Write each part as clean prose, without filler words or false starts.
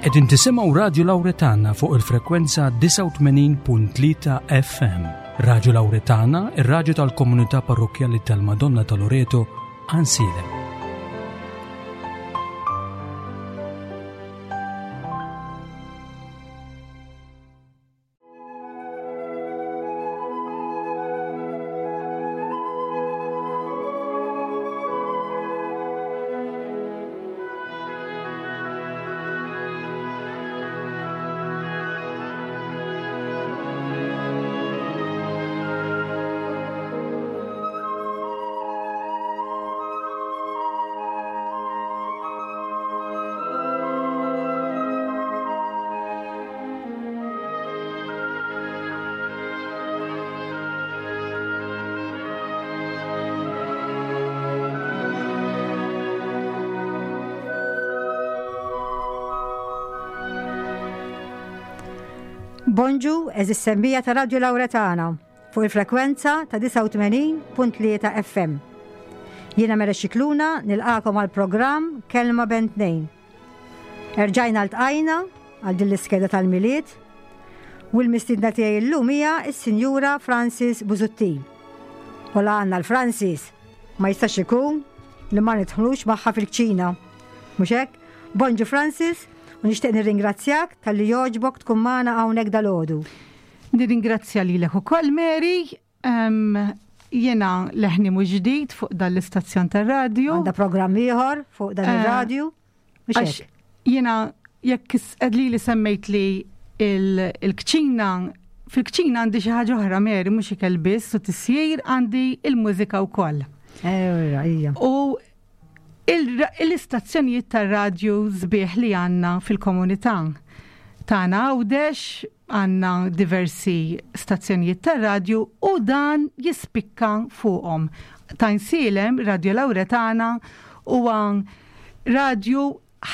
Qegħdin tisimgħu Radju Lawretana fuq il-frekwenza 89.3 FM. Radju Lawretana, ir-radju tal-komunità parrokkjali tal-Madonna ta' Loreto, Ansilem. Bonġu, eżis semmija ta' Radio Lauretana fuq il-frekwenza ta' 89.3 FM. Jiena Mera Xikluna nilqakom għal programm Kelma Ben Tnejn. Erġajna ltqajna għal din l-iskeda tal-Milied u l-mistiedna tiegħi llum hija s-Sinjura Francis Busuttil. U la għandna l-Francis ma jistax ikun li ma nidħlux magħha fil-kċina. Mhux hekk? Bonġu Francis u nixtieq nirringrazzjak talli jogħġbok tkun magħna hawnhekk dalgħodu. Nirringrazzja lilek ukoll Mary Jena leħni mhux ġdid fuq dan l-istazzjon tar-radju. Għandha programm ieħor fuq dan eh, ir-radju. Għax jiena jekk li li semmejt li il-kċina fil-kċina għandi xi ħaġa oħra Mary mhux ikel biss u tisjir għandi il-mużika wkoll. Eh, u l-istazzjonijiet tar-radju sbieħ li għandna fil-komunità tagħna Għawdex għandna diversi stazzjonijiet tar-radju u dan jispikka fuqhom. Tajnsielem, Radio Lauretana, huwa radju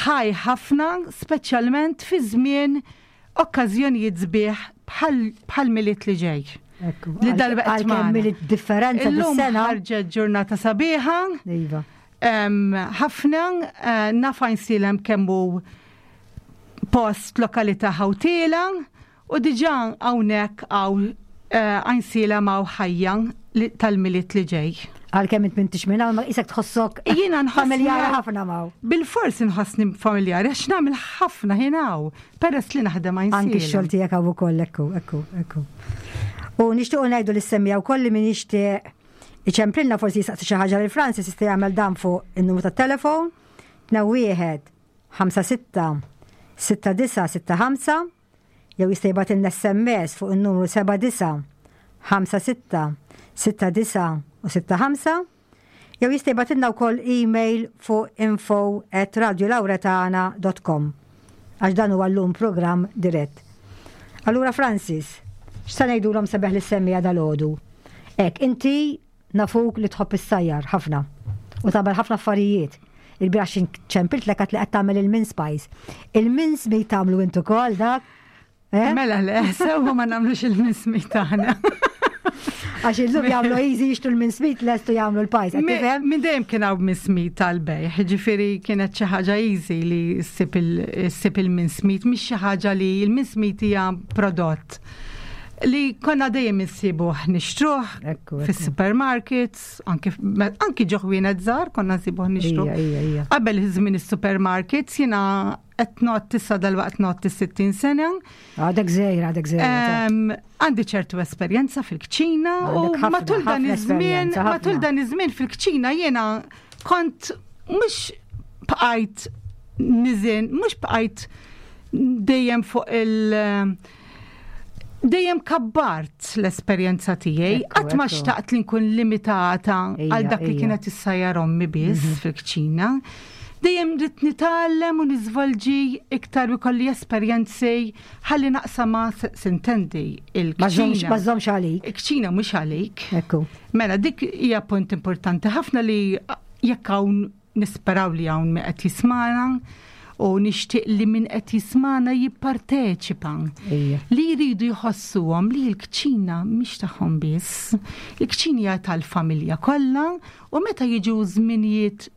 ħaj ħafna, speċjalment fi żmien okkażjonijiet sbieħ bħal Milied li ġej. Li darba qed Milied differenza dis-sena. Ħarġet ġurnata sabiħa. Iva. Ħafna eh, naf Għajnsielem kemm hu post lokalità ħawtiela u diġà hawnhekk hawn eh, Għajnsielem hawn ħajja tal-Milied li ġej. Għalkemm int m'intix minn hawn ma isek tħossok Jiena nħossni familjari ħafna m'hawn. Bilfors inħossni familjari għax nagħmel ħafna ħin hawn peress li naħdem Għajnsielem. Anki x-xogħol tiegħek hawn ukoll ekku, ekku, ekku. U nixtiequ ngħidu lis-semmiegħa wkoll li min jixtieq iċemplilna forsi jistaqsi xi ħaġa lil Francis jista' jagħmel dan fuq in-numru tat-telefon 21 56 69 65 jew jista' jibgħatilna SMS fuq in-numru 79 56 69 u 65 jew jista' jibgħatilna wkoll email fuq info at radiolauretana.com għax dan huwa llum programm dirett. Allura Francis, x'sa ngħidulhom sabiħ lis-semmiegħa dalgħodu? Hekk, inti Nafuk li tħobb issajjar ħafna u tagħmel ħafna affarijiet. Il-bieraħ xi ċempiltlek għedt li qed tagħmel il-mince pies. Il-mince meat tagħmlu int ukoll dak? Eh? Mela le, sewwa ma nagħmlux il-mince meat aħna. Għax illum jagħmlu easy jixtru l-mince meat lestu jagħmlu l-pies, qed tifhem? Minn dejjem kien hawn mince meat tal-bejgħ, ġifieri kienet xi ħaġa easy li ssib il-mince meat, mhix xi ħaġa li l-mince meat hija prodott li konna dejjem insibuh nixtruh fis-supermarkets, anki ġo ħwienet żgħar konna nsibuh nixtruh. Qabel żmien is-supermarkets jiena qed ngħodd issa dalwaqt ngħodd is-60 sena. Għadek żgħir, għadek żgħir. Għandi ċertu esperjenza fil-kċina u matul dan iż-żmien, matul dan iż-żmien fil-kċina jiena kont mhux bqajt niżin, mhux bqajt dejjem fuq il- dejjem kabbart l-esperjenza tiegħi, qatt ma xtaqt li nkun limitata għal dak li kienet issajjar ommi biss mhm. fil-kċina. Dejjem rrid nitgħallem u niżvolġi iktar u kolli esperjenzi ħalli naqsama sintendi il-kċina. Ma żommx għalik. Il-kċina mhux għalik. Ekku. Mela dik hija punt importanti ħafna li jekk hawn Nisperaw li hawn min qed jismagħna u nixtieq li min qed jismagħna jipparteċipa. Li jridu jħossuhom li l-kċina mhix tagħhom biss. Il-kċina hija tal-familja kollha u meta jiġu żminijiet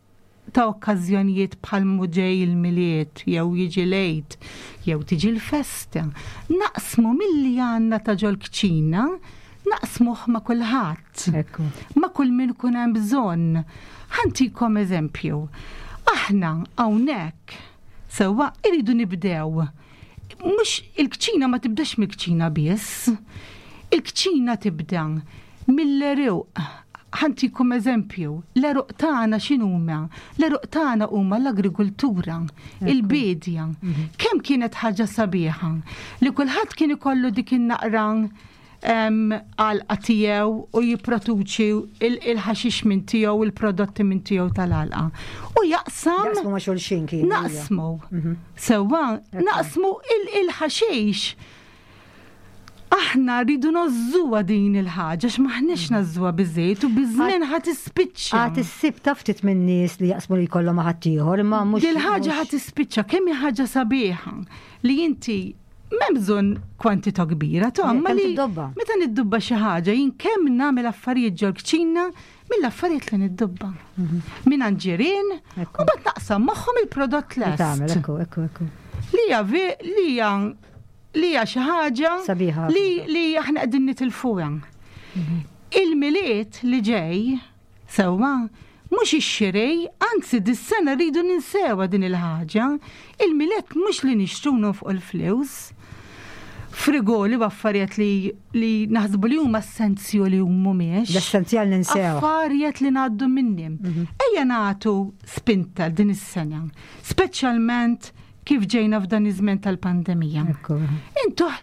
ta' okkażjonijiet bħal muġej il-Milied jew jiġi l-Għid jew tiġi l-festa, naqsmu milli għandna ta' ġol-kċina, naqsmuh ma' kulħadd. Ma' kull min ikun hemm bżonn. Ħa ntikom eżempju. Aħna hawnhekk sewwa irridu nibdew. Mhux il-kċina ma tibdax mill-kċina biss. Il-kċina tibda mill-għeruq. Ħa ntikom eżempju, l-għeruq tagħna x'inhuma? L-għeruq tagħna huma l-agrikultura, il-biedja. Mhm. Kemm kienet ħaġa sabiħa li kulħadd kien ikollu dik in-naqra għalqa tiegħu u jipproduċi il-ħaxix minn tiegħu, il-prodotti minn tiegħu tal-għalqa. U jaqsam. Naqsmu ma' xulxin kien. Naqsmu. Mhm. Sewwa, naqsmu il-ħaxix. Aħna rridu nożżuha din il-ħaġa għax m'aħniex nażżuha biżejjed u biż-żmien ħa tispiċċa. Għad issib ta' ftit minn nies li jaqsmu li jkollhom ma' ħaddieħor imma mhux. Dil-ħaġa ħa tispiċċa kemm hi ħaġa sabiħa li inti m'hemm bżonn kwantità kbira ta' imma li meta niddubba xi ħaġa jien kemm nagħmel affarijiet ġol-kċina mill-affarijiet li niddubba. Mhm. Minn ġirien u bad naqsam magħhom il-prodott lest. Tagħmel ekku, ekku, ekku. Li hija li hija li hija xi ħaġa li li aħna qegħdin nitilfuha. Mhm. Il-Milied li ġej sewwa mhux ix-xiri, anzi dis-sena rridu ninsewha din il-ħaġa. Il-Milied mhux li nixtru nonfqu l-flus. Frigoli u affarijiet li li naħsbu li huma essenzjali u mhumiex. L-essenzjal ninsew. Affarijiet li ngħaddu minnhom. Mhm. Ejja nagħtu spinta din is-sena, speċjalment kif ġejna f'dan iż-żmien tal-pandemija. Intuh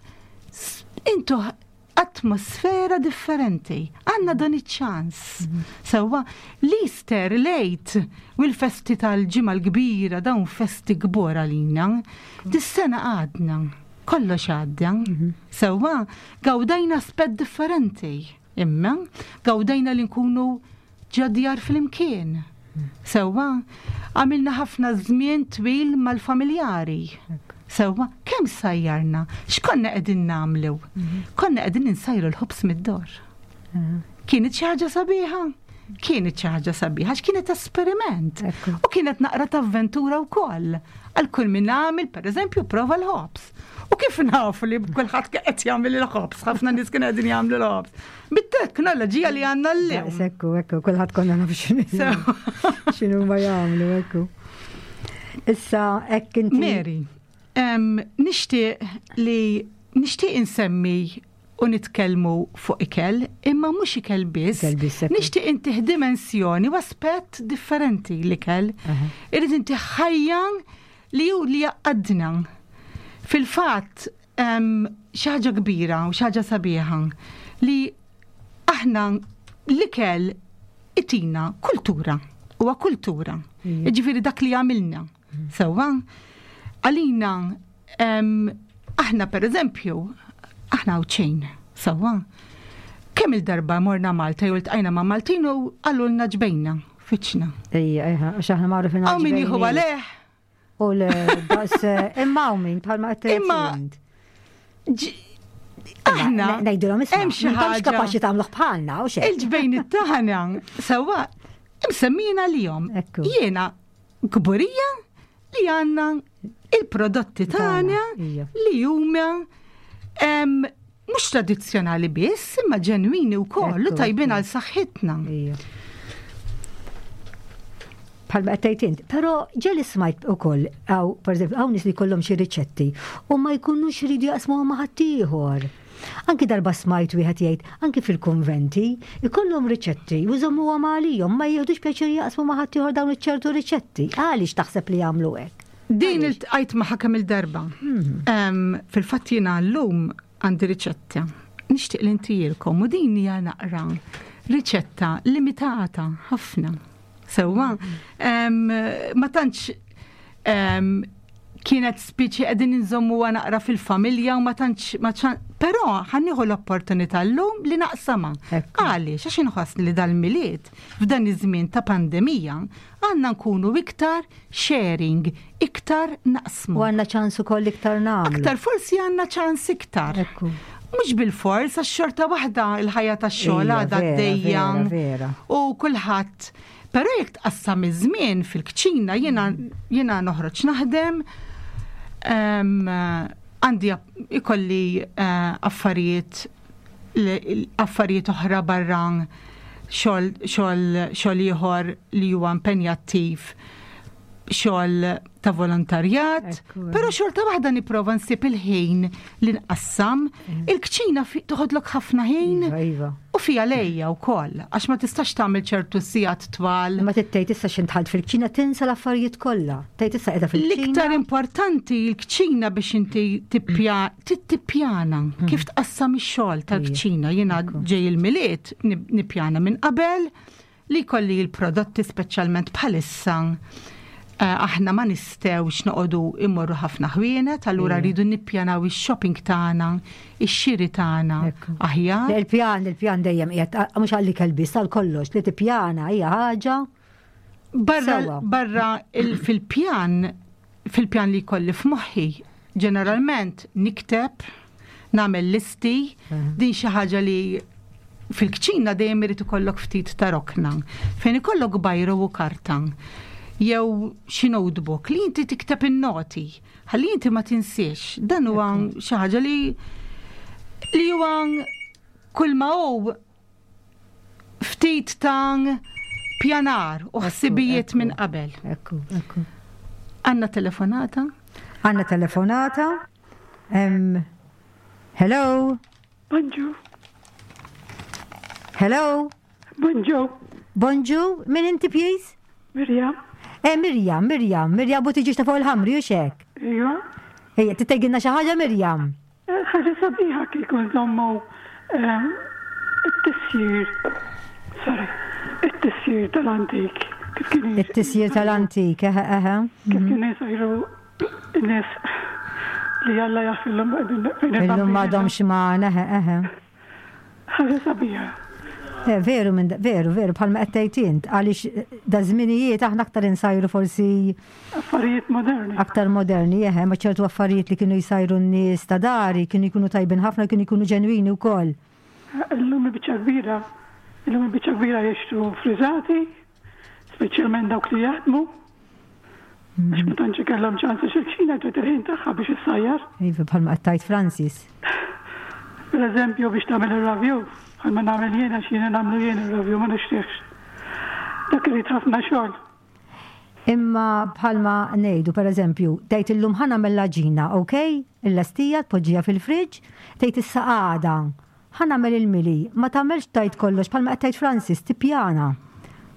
intuh atmosfera differenti. Għandna dan iċ-ċans. Mhm. Sewwa l-Easter, l-Għid u l-festi tal-ġimgħa l-kbira dawn festi kbor għalina. Dis-sena għadna, kollox għadda. Mhm. Sewwa gawdajna aspett differenti. Imma gawdajna li nkunu ġo djar flimkien. Sewwa, għamilna ħafna żmien twil mal-familjari. Sewwa, kemm sajjarna? X'konna qegħdin nagħmlu? Mhm. Konna qegħdin insajru l-ħobż mid-dor. Mhm. Kienet xi ħaġa sabiħa? Kienet xi ħaġa sabiħa, għax kienet esperiment. U kienet naqra ta' avventura wkoll. Għal kull min għamil, pereżempju, prova l-ħobż. U kif nafu li kulħadd qed jagħmel il-ħobż, ħafna nies kienu qegħdin jagħmlu l-ħobż. Bit-teknoloġija li għandna llum. Ekku, ekku, kulħadd konna naf x'inhu ma jagħmlu, ekku. Issa hekk inti. Mary, nixtieq li nixtieq insemmi u nitkellmu fuq ikel, imma mhux ikel biss. Nixtieq intih dimensjoni u aspett differenti l-ikel. Irrid intih ħajja li hu li jgħaqqadna. Fil-fatt, xi ħaġa kbira u xi ħaġa sabiħa li aħna l-ikel itina kultura, huwa kultura. Ġifieri dak li għamilna. Mm. Sewwa, għalina aħna per eżempju, aħna ċejn, sewwa. Kemm il-darba morna Malta jew iltqajna ma' Maltin u qalulna ġbejna. Fiċna. Ejja, ejja, għax aħna magħrufin għal. Hawn min jieħu għalih. U le, daqs, eh, imma hawn min bħalma qed Imma aħna ngħidulhom isma' hemm xi ħaġa kapaċi tagħmluh bħalna u xejn. Il-ġbejn tagħna sewwa msemmina lihom. Jiena kburija li għandna il-prodotti tagħna li huma mhux tradizzjonali biss, imma ġenwini wkoll u tajbin għal saħħitna. Bħalma qed tgħid int, però ġeli smajt ukoll hawn pereżempju hawn nies li jkollhom xi riċetti u ma jkunux iridu jaqsmuhom ma' ħaddieħor. Anki darba smajt wieħed jgħid, anki fil-kunventi, ikollhom riċetti u jżommuhom għalihom, ma jieħdux pjaċir jaqsmu ma' ħaddieħor dawn iċ-ċertu riċetti. Għaliex taħseb li jagħmlu hekk? Din iltqajt magħha kemm il-darba. Mhm. Fil-fatt jiena llum għandi riċetta. Nixtieq li ntijilkom u din hija naqra riċetta limitata ħafna. Sewwa, mhm. ma tantx kienet spiċi qegħdin inżommuha naqra fil-familja u ma tantx ma però ħannieħu l-opportunità llum li naqsamha. Għaliex għax inħoss li dal-milied f'dan iż-żmien ta' pandemija għandna nkunu iktar sharing, iktar naqsmu. U għandna ċans ukoll iktar nagħmlu. Aktar forsi għandna ċans iktar. Mhux bil-fors għax xorta waħda l-ħajja tax-xogħol għadha għaddejja. U kulħadd. Però jekk tqassam iż-żmien fil-kċina jiena jiena noħroġ naħdem għandi ikolli eh, affarijiet affarijiet oħra barra xogħol xogħol xogħol ieħor li huwa impenjattiv xogħol ta' volontarjat, però xorta waħda nipprova nsib il-ħin li nqassam. Mm. Il-kċina toħodlok ħafna ħin iva, iva. u fija lejja wkoll, għax ma tistax tagħmel ċertu sigħat twal. Ma tittejt issa x'intħalt fil-kċina tinsa l-affarijiet kollha. Tgħid issa qiegħda fil-kċina. L-iktar importanti l-kċina biex inti tippjana mm. kif tqassam ix-xogħol tal-kċina. Jiena ġej il-Milied nippjana minn qabel Li jkolli l-prodotti speċjalment bħalissa eh, aħna ma nistgħux noqogħdu immorru ħafna ħwienet, allura rridu nippjanaw ix-shopping tagħna, ix-xiri tagħna aħjar. Il-pjan, il-pjan dejjem qiegħed mhux għalli kelbis għal kollox li tippjana hija ħaġa. Barra, barra fil-pjan fil-pjan li jkolli f'moħħi, ġeneralment nikteb, nagħmel listi, mhm. din xi ħaġa li fil-kċina dejjem irid ikollok ftit ta' rokna, fejn ikollok bajru u karta jew xi notebook li inti tikteb in-noti, ħalli inti ma tinsiex. Dan huwa xi ħaġa li li huwa kull ma hu ftit ta' pjanar u ħsibijiet minn qabel. Ekku, ekku. Għanna telefonata? Għanna telefonata. Um, hello? Bonġu. Hello? Bonġu. Bonġu, min inti please? Mirjam. Eh, Mirjam, Mirjam, Mirjam Buttiġieġ ta' fuq il-ħamri, u xek? Ija. Ejja, tittegilna xi ħaġa Mirjam? Ħaġa sabiħa kieku nżommu it-tisjir, sorry, it-tisjir tal-antik. Kif kienu It-tisjir tal-antik, eħe, eħe. Kif kienu jsajru n-nies li Alla jaf illum fejn Illum m'għadhomx magħna, eħe, eħe. Ħaġa sabiħa. Eh, veru, minn veru, veru, bħalma qed tgħid int, għaliex eh, da żminijiet aħna aktar insajru forsi affarijiet moderni. Aktar moderni, eħe, ma ċertu affarijiet li kienu jsajru n-nies ta' dari kienu jkunu tajbin ħafna, kienu jkunu ġenwini wkoll. Eh, illum il-biċċa kbira, illum il-biċċa kbira jixtru friżati, speċjalment dawk li jaħdmu. Għax ma tantx ikollhom ċans għax il-kċina trid il-ħin tagħha biex issajjar. Iva bħalma qed tgħid Francis. Per eżempju biex tagħmel ir-ravju, bħalma nagħmel jien għax jiena nagħmlu jien ir-ravju ma nixtrihx. Dak irid ħafna xogħol. Imma bħalma ngħidu per eżempju, tgħid illum ħa nagħmel l-għaġina, ok? Il-lestija tpoġġiha fil-friġġ, tgħid issa għada Ħa nagħmel il-mili, ma tagħmelx tgħid kollox bħalma qed tgħid Francis, tippjana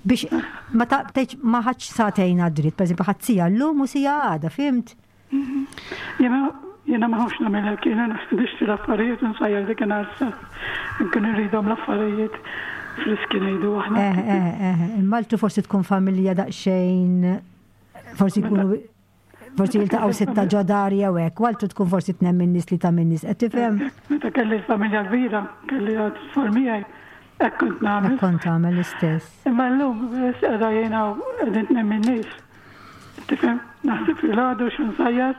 biex ma tgħidx ma ħadx sagħtejn għad-dritt, pereżempju ħadt siegħa llum u siegħa għada, fhimt? Jiena jiena ma nafx nagħmel hekk, jiena nixtri l-affarijiet u nsajjar dakinhar stess. Inkun irridhom l-affarijiet friski ngħidu aħna. Eh, eh, eh, imma altru forsi tkun familja daqsxejn forsi jkunu Forsi jiltaqgħu sitta ġo dar jew hekk, u altru tkun forsi tnem min-nies li ta' min-nies, qed tifhem? Meta kelli l-familja kbira, kelli tfal miegħi, hekk kont nagħmel. Hekk kont tagħmel l-istess. Imma llum qiegħda jiena u qegħdin tnem min-nies. Tifhem? Naħseb filgħodu x'insajjar.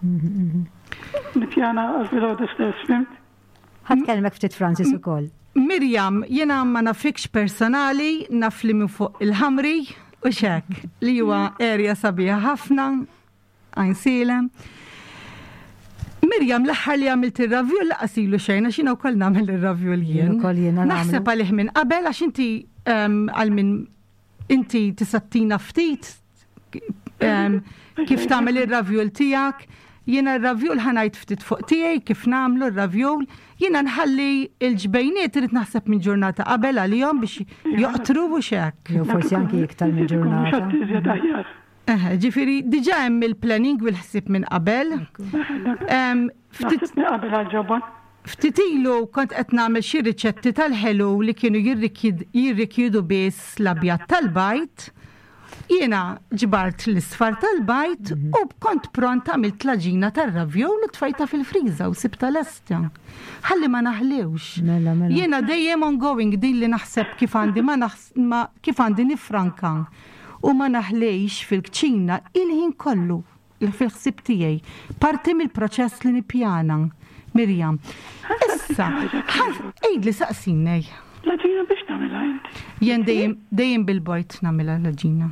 Nippjana għal filgħodu stess, fimt? Ħa tkellmek ftit Francis ukoll. Miriam, jiena ma nafikx personali, naf li minn fuq il-ħamri u xek, li huwa area sabiħa ħafna, għajnsielem. Miriam, l-aħħar li għamilt ir-ravjul laqas ilu xejn għax jiena wkoll nagħmel ir-ravjul jien. Naħseb għalih minn qabel għax inti ehm, għal minn Inti tista' tina ftit kif tagħmel ir-ravjul tiegħek. Jiena r-ravjul ħa ngħid ftit fuq tiegħi kif nagħmlu r-ravjul. Jiena nħalli l-ġbejniet irid naħseb minn ġurnata qabel għalihom biex joqtru u x'hekk. Jew forsi anki iktar minn ġurnata. Eħe, ġifieri diġà hemm il-planning u l-ħsieb minn qabel. Ftit minn qabel għall-ġobon. Ftit ilu kont qed nagħmel xi riċetti tal-ħelu li kienu jirrikjedu biss l-abjad tal-bajd. Jiena ġbart l-isfar tal-bajd u kont pront għamilt l-għaġina tar-ravjol u tfajtha fil-friża u sibtha lesta. Ħalli ma naħliwx. Mela, mela. Jiena dejjem ongoing din li naħseb kif għandi ma ma kif għandi nifranka u ma naħlix fil-kċina il-ħin kollu. Fil-ħsieb tiegħi, parti mill-proċess li nippjana. Miriam. Issa, għidli saqsini. L-għaġina biex tagħmilha inti? Jien dejjem dejjem bil-bojt nagħmilha l-għaġina.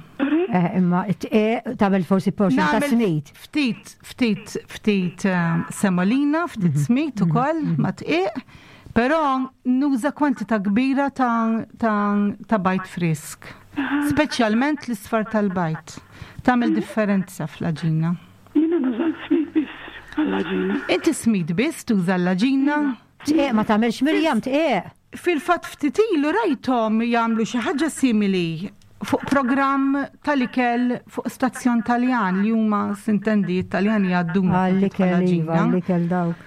Eh, imma it-tqiegħ tagħmel forsi portion ta' smid. Ftit, ftit, ftit eh, semolina, ftit mhm. smid mhm. ukoll mhm. ma' tqiegħ, però nuża kwantità kbira ta', ta, ta bajt frisk. Speċjalment l-isfar tal-bajt. Tagħmel differenza fl-għaġina. Jiena nuża l-smid biss għall-għaġina. Inti smid biss tuża l-għaġina? Tqiegħ ma tagħmilx Mirjam tqiegħ. Fil-fatt ftit ilu rajthom jagħmlu xi ħaġa simili fuq programm tal-ikel fuq stazzjon Taljan li huma sintendi t-Taljani jgħadduna Għall-ikel iva, għall-ikel dawk.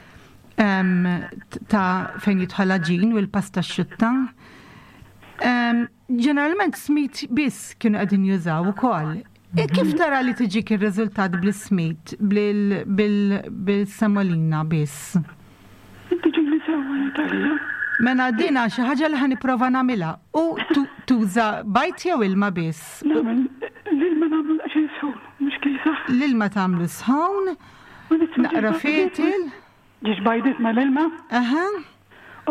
Ta' fejn jidħol għaġin u l-pasta xutta. Ġeneralment smid biss kienu qegħdin jużaw ukoll. E kif tara li tiġik ir-riżultat bl-ismid, bil-semolina biss? Tiġini sewwa Natalija. Mela dina xi ħaġa li ħa nipprova nagħmilha. U tuża bajt jew ilma biss? Nagħmel l-ilma nagħmlu daqsxejn sħun, mhux kiesaħ. L-ilma tagħmlu sħun, naqra fetil. Ġiex bajdiet mal-ilma. Aha.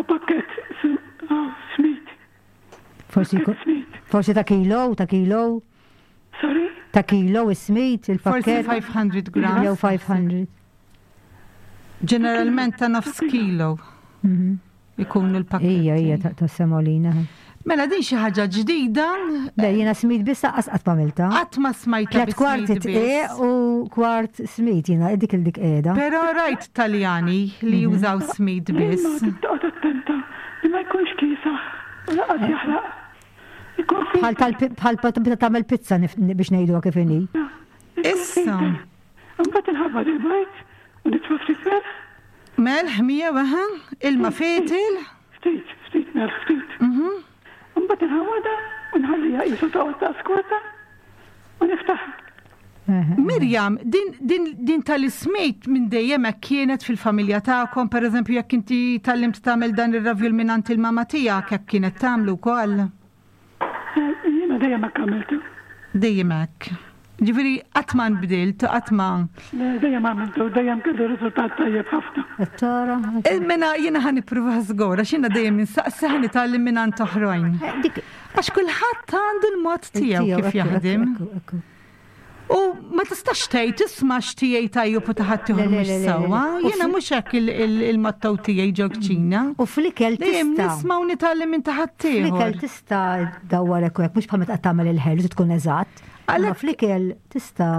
U pakkett smid. Forsi forsi ta' kilo, ta' kilo. Sorry? Ta' kilo is-smid, il-pakket. Forsi 500 grams. Jew 500. Ġeneralment ta' nofs kilo. Mhm. Ikun il-pakket. Ija, ija, ta' semolina. Mela din xi ħaġa ġdida. Le jiena smid biss laqqas qatt m'għamiltha. Qatt ma smajtha. Tlet kwarti tqiegħ u kwart smid jiena dik il dik qiegħda. Però rajt Taljani li mhm. jużaw smid biss. Toqgħod attenta li ma jkunx kiesaħ u laqas jaħraq. Bħal bħal meta tagħmel pizza biex ngħiduha kif inhi. Issa. Imbagħad inħabbar il-bajd u nitfa' ftit melħ. Melħ miegħu eħe, ilma fetil. Ftit, ftit melħ, ftit. Mhm. Imbagħad inħawwadha u nħalliha qisu toqgħod daqs kwarta u niftaħha. Mirjam, din, din, din tal-ismejt minn dejjem hekk kienet fil-familja tagħkom, pereżempju jekk inti tgħallimt tagħmel dan ir-ravjul mingħand il-mama tiegħek hekk kienet tagħmlu wkoll? Eh, jiena dejjem hekk għamiltu. Dejjem hekk. Ġifieri qatt ma nbdilt, qatt ma. Le, dejjem għamiltu, dejjem kellu riżultat tajjeb ħafna. Tara. Eh, mela jiena ħa nipprova żgur għax jiena dejjem insaqsi ħa nitgħallem mingħand oħrajn. Eh, għax kulħadd għandu l-mod tiegħu kif jaħdem. U ma tistax tgħid isma' x'tiegħi tajjeb u ta' ħaddieħor mhux sewwa. Jiena mhux hekk il-motto tiegħi ġo kċina. U fl-ikel tista'. Nisma' u nitgħallem minn ta' ħaddieħor. Fl-ikel tista' dawwar hekk u hekk mhux bħal meta qed tagħmel il-ħelu tkun eżatt. Għalhekk fl-ikel tista'.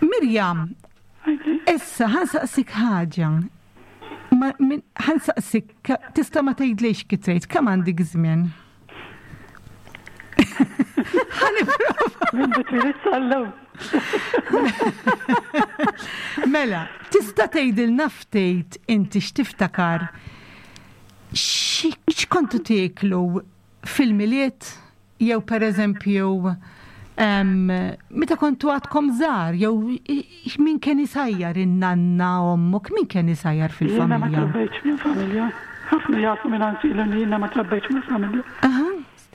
Mirjam, issa ħa nsaqsik ħaġa. Ħa nsaqsik, tista' ma tgħidlix kif tgħid, kemm għandek żmien? Mela, tista' tgħidilna ftit inti x'tiftakar x'kontu tieklu fil-Milied jew pereżempju meta kontu għadkom żgħar jew min kien isajjar in-nanna ommok, min kien isajjar fil-familja? Jiena ma trabbejtx minn familja. Ħafna jafu minn għand li jiena ma trabbejtx minn familja.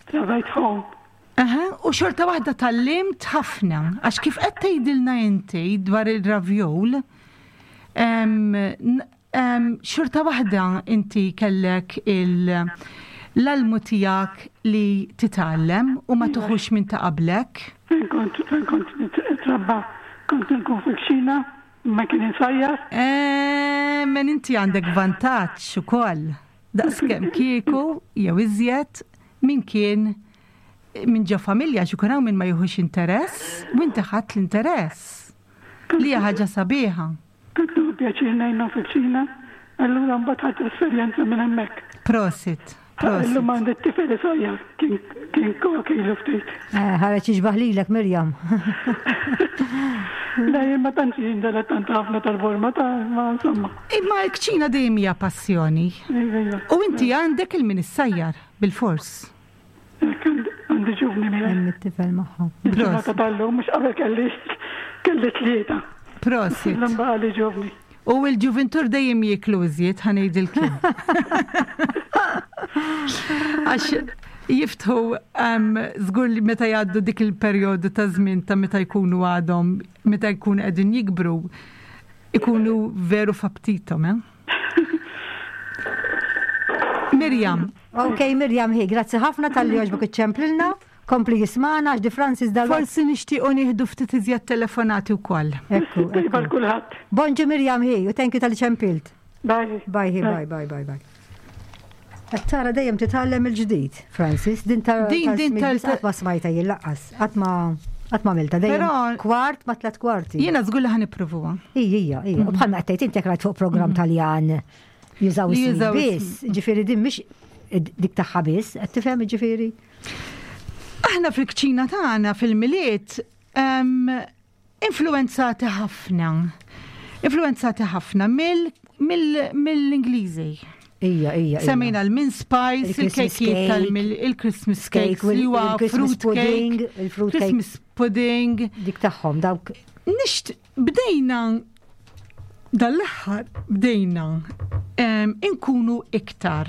Trabbejt home. Aha, u xorta waħda tgħallimt ħafna, għax kif qed tgħidilna inti dwar il-ravjol, xorta waħda inti kellek l-almu tiegħek li titgħallem u ma tuħux minn ta' qablek. Fejn kont fejn kont nitrabba kont nkun fil-kċina ma kien insajjar. Eh, men inti għandek vantaġġ ukoll. Daqskemm kieku jew iżjed min kien minn ġo familja għax ikun hawn min ma jieħux interess u inti ħadt l-interess. Li hija ħaġa sabiħa. Kont nieħu pjaċir ngħinhom fil-kċina, allura mbagħad ħadt esperjenza minn hemmhekk. Prosit. Illum għandi t-tifel isajjar, kien kok ilu ftit. Eh, ħareġ jixbaħ lilek Mirjam. Le, jien ma tantx jien dilettant ħafna tal-borma ta' ma insomma. Imma l-kċina dejjem hija passjoni. Iva, iva. U inti għandek il-min issajjar, bilfors. Għandi ġuvni miegħi. Hemm it-tifel magħha. Il-ġurnata tal-lum mhux qabel kelli kelli tlieta. Prosit. Illum baqali ġuvni. U l-ġuvintur dejjem jieklu iżjed ħa ngħidilkom. Għax jiftħu żgur li meta jgħaddu dik il-perjodu ta' żmien ta' meta jkunu għadhom meta jkunu qegħdin jikbru ikunu veru f'aptitom, eh? Mirjam. Ok, Mirjam hi, grazzi ħafna talli għoġbok iċċemplilna. Kompli jismana għax di Francis dal Forsi nixtiequ nieħdu ftit iżjed telefonati wkoll. Ekku, Tajba ekku. kulħadd. Bonġu Mirjam hi, u thank you talli ċempilt. Bye. Bye, hi, bye, bye, bye, bye. Qed tara dejjem titgħallem il-ġdid, Francis. Din ta' Din- din tal- qatt ma smajta jien laqqas. Qatt ma qatt ma għamilta dejjem. Però- Kwart ma tlet kwarti. Jiena żgur li ħa nippruvuha. Ija, ija, ija. U bħalma qed tgħid inti jekk rajt fuq programm Taljan jużaw Li is jużaw biss, ġifieri din mhix dik tagħha biss, qed tifhem ġifieri. Aħna fil-kċina tagħna fil-Milied em, influenzati ħafna. Influenzati ħafna mill-Ingliżi. Ija, ija. ija. Semmejna l-mince pies, Il-Christmas il-kejkiet cake. tal-mil, il-Christmas Cake, cakes, li huwa il-Christmas fruit pudding, cake, il-fruit cake. Christmas pudding. Dik tagħhom dawk Nixt, bdejna dal-aħħar bdejna em, inkunu iktar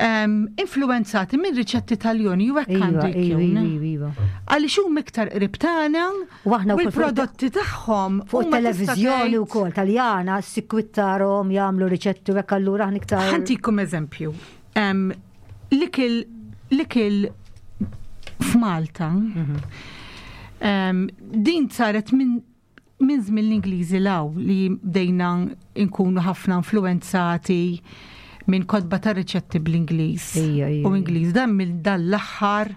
em, influenzati minn riċetti taljoni u hekk Iva, għandu iva, jkun. iva, iva. Għaliex huma iktar qrib tagħna U aħna u wkoll fuq l-prodotti tagħhom Fuq huma tista' televizjoni tgħid- u kol, taljana, sikwittarom jagħmlu riċetti u hekk allura aħna iktar. Ħantikom eżempju. Em, L-ikel l-ikel f'Malta em, din saret minn minn żmien l-Ingliżi law li bdejna nkunu ħafna influenzati minn kotba ta' riċetti bl-Ingliż. Ija, ija, U ija. Ingliż dan mill dan l-aħħar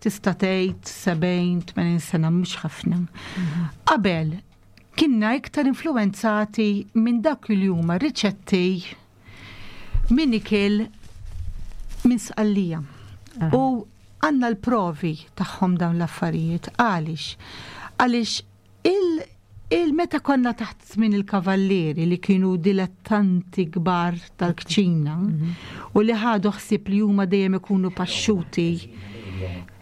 tista' tgħid 70, 80 sena mhux ħafna. Qabel kienna iktar influenzati minn dak li huma riċetti minn ikel minn sqallija. U għanna l-provi tagħhom dawn l-affarijiet. Għaliex? Għaliex il- il-meta konna taħt żmien il-kavallieri li kienu dilettanti kbar tal-kċina u li ħadu ħsieb li huma dejjem ikunu paxxuti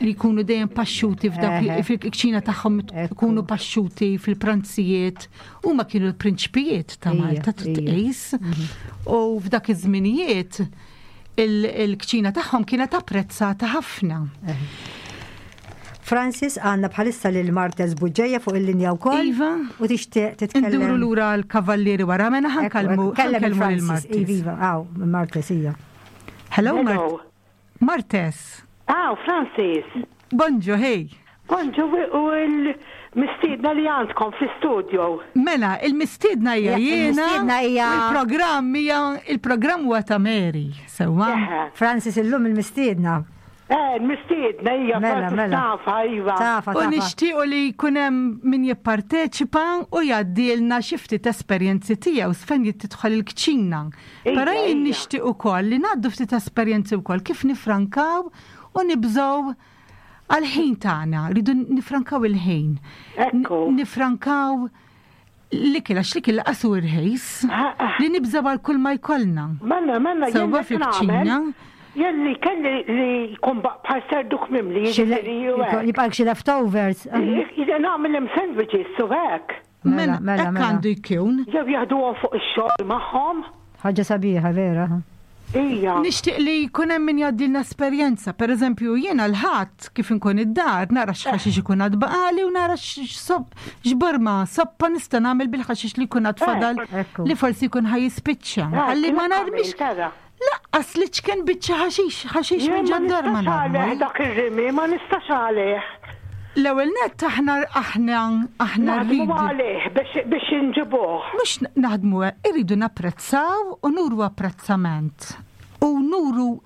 li jkunu dejjem paxxuti f'dak li- Eħe. fil-kċina tagħhom Ekku. ikunu paxxuti fil-pranzijiet huma kienu l-prinċpijiet ta' Ija, Malta trid ija. tqis. U f'dak iż-żminijiet il- il-kċina tagħhom kienet apprezzata ħafna. Francis għandna bħalissa lil Martez Buġġeja fuq il-linja wkoll. Iva. U tixtieq titkellem. Induru lura l-kavallieri wara mena Ekku, ħankalmu ekku, Kellem ħankellmu lil il-Francis. Martes. Iva, għaw, Martes, ija. Hello, Mart Hello. Martes. Ah, Francis. Bonġu, hey. Bonġu u l-mistiedna li għandkom fl-studio. Mela, il-mistiedna hija Ja, jiena. il-mistiedna hija- u Il-programm hija il-programm huwa ta' Mary, sewwa. Eħe. Francis illum il-mistiedna. Eh, l-mistiedna hija Mela, Francis mela. tafa, iva. Tafa, U tafa. nixtiequ li jkun hemm min jipparteċipa u jgħaddilna xi ftit esperjenzi tiegħu fejn tidħol il-kċina. Ija, Però jien ija. nixtieq ukoll li ngħaddu ftit esperjenzi wkoll kif nifrankaw u nibżgħu għal-ħin tagħna, rridu nifrankaw il-ħin. Ekku. N- Nifrankaw l-ikel għax l-ikel qasu irħis Ah, ah. li nibżgħu għal kull ma jkollna. Mela, mela, Sewwa jien qed fil-kċina. nagħmel, Jien li kelli li jkun ba- bħal serduk mimli, jiġifieri u hekk. Jibqalek xi leftovers. Jien nagħmel hemm sandwiches u hekk. Mela, mela, hekk mela. għandu jkun. Jew jaħduhom fuq ix-xogħol magħhom. Ħaġa sabiħa, vera. Ija. Nixtieq li jkun hemm min jgħaddilna esperjenza. Pereżempju, jiena l-ħadd kif inkun id-dar nara x'ħaxix ikun għad baqali u nara x'sob- x'borma soppa nista' nagħmel bil-ħaxix li jkun għad fadal Ekku. li forsi jkun ħajispiċċa. Għalli ma narmix Tara. laqqas li ċken biċċa ħaxix, ħaxix Jien minn ma ġad-dar ma nistax għalih narmux. dak ir-rimi, ma nistax għalih. L-ewwel nett aħna aħna aħna Naħdmu rridu. għalih biex biex inġibuh. Mux naħdmu, irridu napprezzaw u nuru apprezzament. U nuru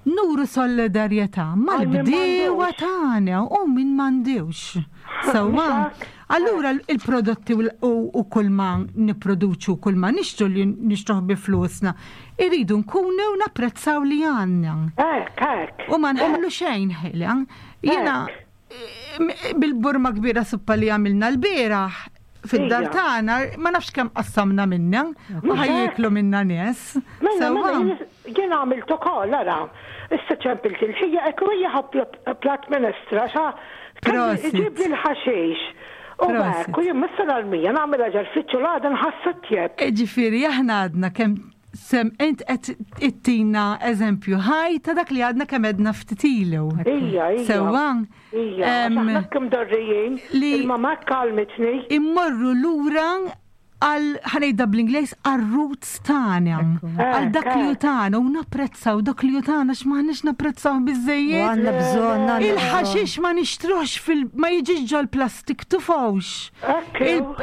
nuru solidarjetà mal-bdiewa m'għandux. tagħna u min m'għandux. Sewwa. Mhux hekk? Allura il-prodotti u l- u u kull ma nipproduċu, kull ma nixtru li nixtruh bi flusna, irridu nkunu u napprezzaw li għandna. Hekk, hekk. U ma nħallu xejn ħela. Jiena eh, bil-burma kbira suppa li għamilna l-bieraħ fid-dar Ija. tagħna ma nafx kemm qassamna minna u ħajjiklu minna nies. Mela, Sewwa. mela, jien- jien għamilt ukoll, ara. Issa ċempilt il-ħija, ekku hija ħab plat minestra, xa Prosit. ġib li l-ħaxix. U Prosit. hekk, u jien missa l-armija nagħmel ġar fitxu l-għada nħassu tjeb. Ġifieri aħna għadna kemm sem int qed ittina eżempju ħaj ta' dak li għadna kemm għedna ftit ilu. Ija, ija. Sewwa. Ija, Em, aħna kemm dorrijin, li- il-mama kalmitni. immorru lura Għal ħa ngħidha bl-Ingliż għar-roots tagħna, għal dak li hu tagħna u napprezzaw dak li hu tagħna għax m'aħniex napprezzaw biżejjed. Għandna bżonn, Il-ħaxix ma nixtruhx fil ma jiġix ġol-plastik tufgħux.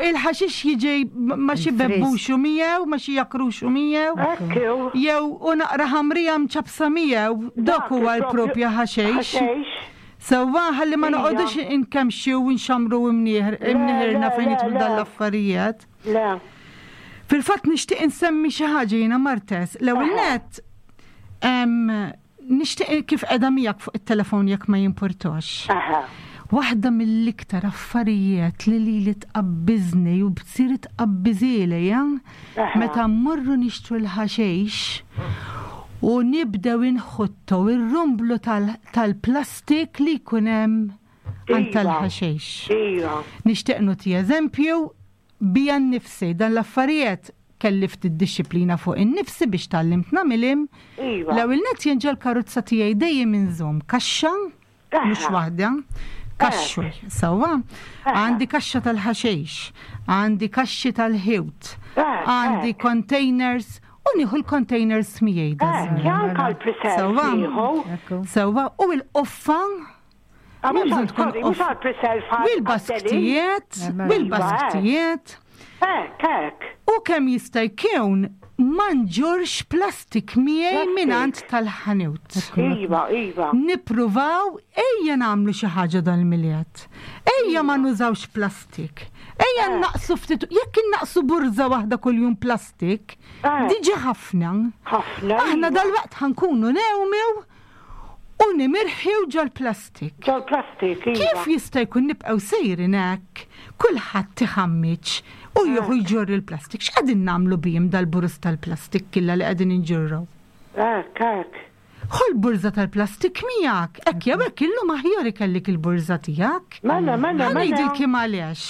Il-ħaxix jiġi ma xi bebbuxu miegħu, ma xi jakruxu miegħu. Jew u naqra ħamrija mċappsa miegħu, dak huwa l-propja ħaxix. Sewwa, ħalli ma noqogħdux inkemmxu u nxammru imnieħirna fejn jidħlu dan l-affarijiet. Le. Fil-fatt nixtieq insemmi xi ħaġa jiena Martes. L-ewwel nett nixtieq kif qiegħda miegħek fuq it-telefon jekk ma jimpurtax. Waħda mill-iktar affarijiet li lili tqabbiżni u bsir tqabbiżieli, Meta mmorru nixtru l-ħaxix u nibdew inħuttu r-rumblu tal-plastik li jkun hemm għand tal-ħaxix. Nixtieq nagħti eżempju bija nnifsi dan l-affarijiet kelli ftit dixxiplina fuq innifsi biex tgħallimt nagħmilhom. L-ewwel nett jien ġol-karozza tiegħi dejjem inżomm kaxxa Mhux waħda. Kaxxu, sewwa. Għandi kaxxa tal-ħaxix, għandi kaxxi tal-ħiwt, għandi containers u nieħu l-containers miegħi. Sewwa. Sewwa, u l-qoffa U l-basktijiet, u l-basktijiet. Hekk, hekk. U kemm jista' jkun ma nġorrx plastik miegħi mingħand tal-ħanut. Iva, iva. Nippruvaw ejja nagħmlu xi ħaġa dal-Milied. Ejja ma nużawx plastik. Ejja nnaqqsu ftit, jekk innaqqsu burża waħda kuljum plastik, diġà ħafna. Ħafna. Aħna dalwaqt ħa nkunu newmew u nimirħiw ġol-plastik. Ġol-plastik, iva. Kif jista' jkun nibqgħu sejrin hekk, kulħadd iħammiġ u jieħu jġorr il-plastik? X'qegħdin nagħmlu bihim dal-buruz tal-plastik killa li qegħdin inġorru? Hekk, hekk. Ħu l-burża tal-plastik miegħek, hekk jew hekk illum aħjar ikellik il-burża tiegħek. Mela, mela, mela. Ħa ngħidilkom għaliex.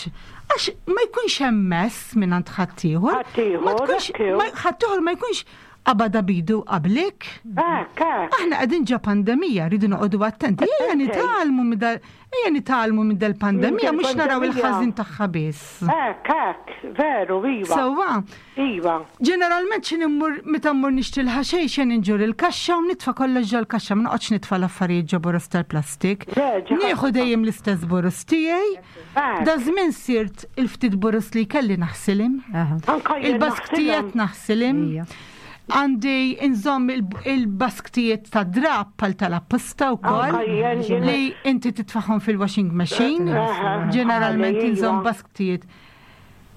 Għax ma jkunx hemm mess mingħand ħaddieħor. Ħaddieħor, Ma tkunx, ħaddieħor ma jkunx Qabadha b'idu qablik. Hekk, hekk. Aħna qegħdin ġo pandemija, rridu noqogħdu attenti. Ejja nitgħallmu minn dal ejja nitgħallmu minn dal-pandemija mhux naraw il-ħażin tagħha biss. Hekk, hekk, veru, iva. Sewwa. Iva. Ġeneralment xi immur meta mmur nixtri l-ħaxejx jien inġur il-kaxxa u nitfa' kollox ġol-kaxxa, ma noqgħodx nitfa' l-affarijiet ġo boroż tal-plastik. Nieħu dejjem l-istess boroż tiegħi. Daż-żmien sirt il-ftit boroż li kelli naħsilhom. Il-basktijiet naħsilhom. Għandi inżomm il-basktijiet ta' drab pal tal-apposta wkoll li inti titfaħħom fil-washing machine. Ġeneralment inżomm basktijiet.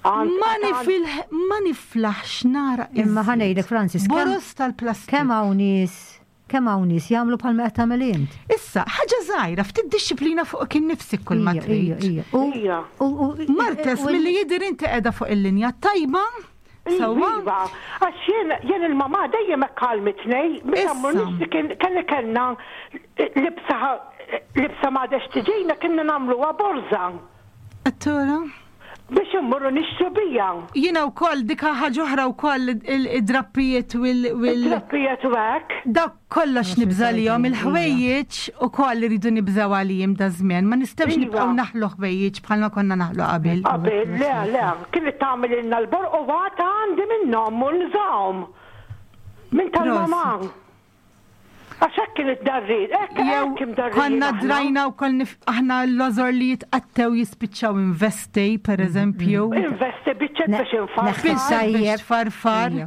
Ma niflaħx nara. Imma ħanejdek Francis. Boros tal-plastik. Kemm hawn nies Kemm hawn nies jagħmlu bħalma qed tagħmel int. Issa, ħaġa żgħira, ftit dixxiplina fuqek innifsek kull ma trid. Ija. Martes, milli jidher inti qiegħda fuq il-linja t-tajba, sewwa? Iva, għax jien jien il-mamà dejjem hekk għallmitni, meta mmur nixtri kien kelli kellna libsa libsa m'għadhex tiġina kienna nagħmluha borża. Qed tura? Biex immorru nixtru bija. Jiena wkoll dik ħaġa oħra wkoll id-drappijiet u l. Id-drappijiet u hekk. Dak kollox nibża' għalihom, il-ħwejjeġ ukoll iridu nibżgħu għalihom daż-żmien, ma nistgħux nibqgħu naħlu ħwejjeġ bħalma konna naħlu qabel. Qabel, le, le, kienet tagħmililna l-borq u għad għandi minnhom u nużahom. Minn tal-mamà. Għax hekk kien id-darrin, hekk hekk imdarrin. Konna drajna u koll aħna l-lożor li jitqattew jispiċċaw investi, per eżempju. Investi biċċet biex infarfar. Biex tfarfar.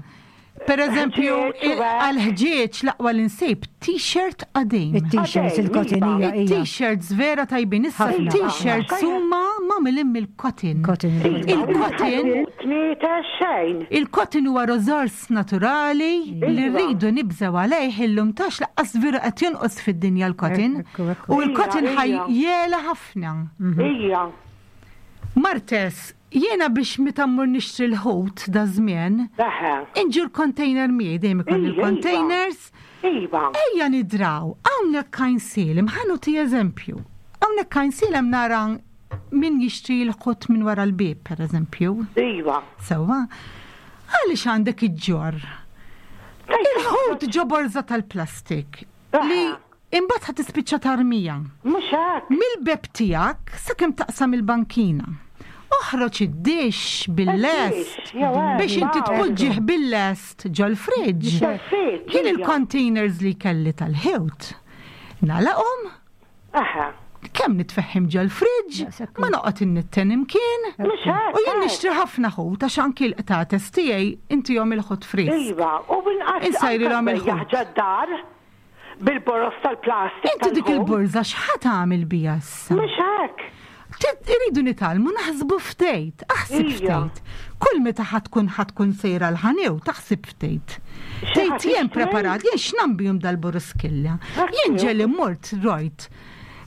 Per eżempju, għal-ħġieġ l-aqwa l-insib, t-shirt qadim. Il-t-shirts, il-kotinija. Il-t-shirts vera tajbin. Issa t-shirts huma magħmilin mill-cotton. Il-cotton. Il-cotton huwa rożors naturali li rridu nibżgħu għalih illum tax laqqas veru qed jonqos fid-dinja l-cotton. U l-cotton ħaj jela ħafna. Ija. Martes, jiena biex meta mmur nixtri l-ħut da żmien, inġur container miegħi dejjem ikolli l-containers. Iva. Ejja nidraw, hawnhekk Għajnsielem, ħa nagħti eżempju. Hawnhekk Għajnsielem nara Min jixtri l-ħut minn wara l-bieb, per eżempju. Iva. Sewwa. Għaliex għandek iġġorr? Il-ħut ġo borża tal-plastik li imbagħad ħa tispiċċa tarmija. Mhux hekk. Mill-beb tiegħek sakemm taqsam il-bankina. Oħroġ id-dixx bil-lest biex inti tpoġġih bil-lest ġol-fridge. Jien il-containers li kelli tal-ħut nagħlaqhom. Kemm nitfehhim ġol-fridge, ma noqgħod innitten imkien. U jien nixtri ħafna ħut għax anki l-qtates tiegħi intihom il-ħut frisk. Iva, u binqas Insajrilhom il-ħut. Ġad-dar bil-boroż tal-plastik. Inti dik il-borża x'ħa tagħmel biha issa? Mhux hekk. Iridu nitgħallmu naħsbu ftit, aħseb ftit. Kull meta ħa tkun ħa tkun sejra l-ħanew, taħseb ftit. Tgħid jien preparat, jien x'nambihom dal-buruskilla. Jien ġeli mort rojt.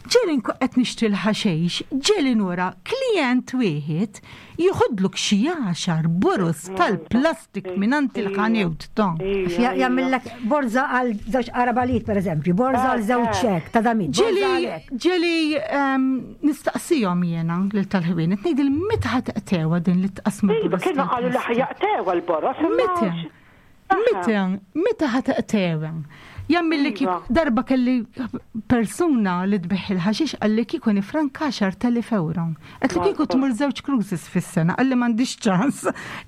Ġeli qed nixtri l-ħaxejx, ġeli nura klient wieħed Jieħodlok xi għaxar boroż tal-plastik mingħand il-ħanewt ta'. Jagħmillek borża għal żewġ qarabalit pereżempju, borża għal żewġ hekk ta' damit. Ġieli ġieli ehm, nistaqsihom jiena lil tal-ħwienet ngħidil meta ħa teqtewha din li tqasmu. Iva, kienu qalu li ħajaqtewha l-boroż. Meta? Meta, meta ħa taqtewa? Jammilli kif iva. darba kelli persuna li tbiħ il-ħaxix qalli kieku nifranka 10,000 euro. Qed li kieku tmur żewġ cruises fis-sena, qalli m'għandix ċans.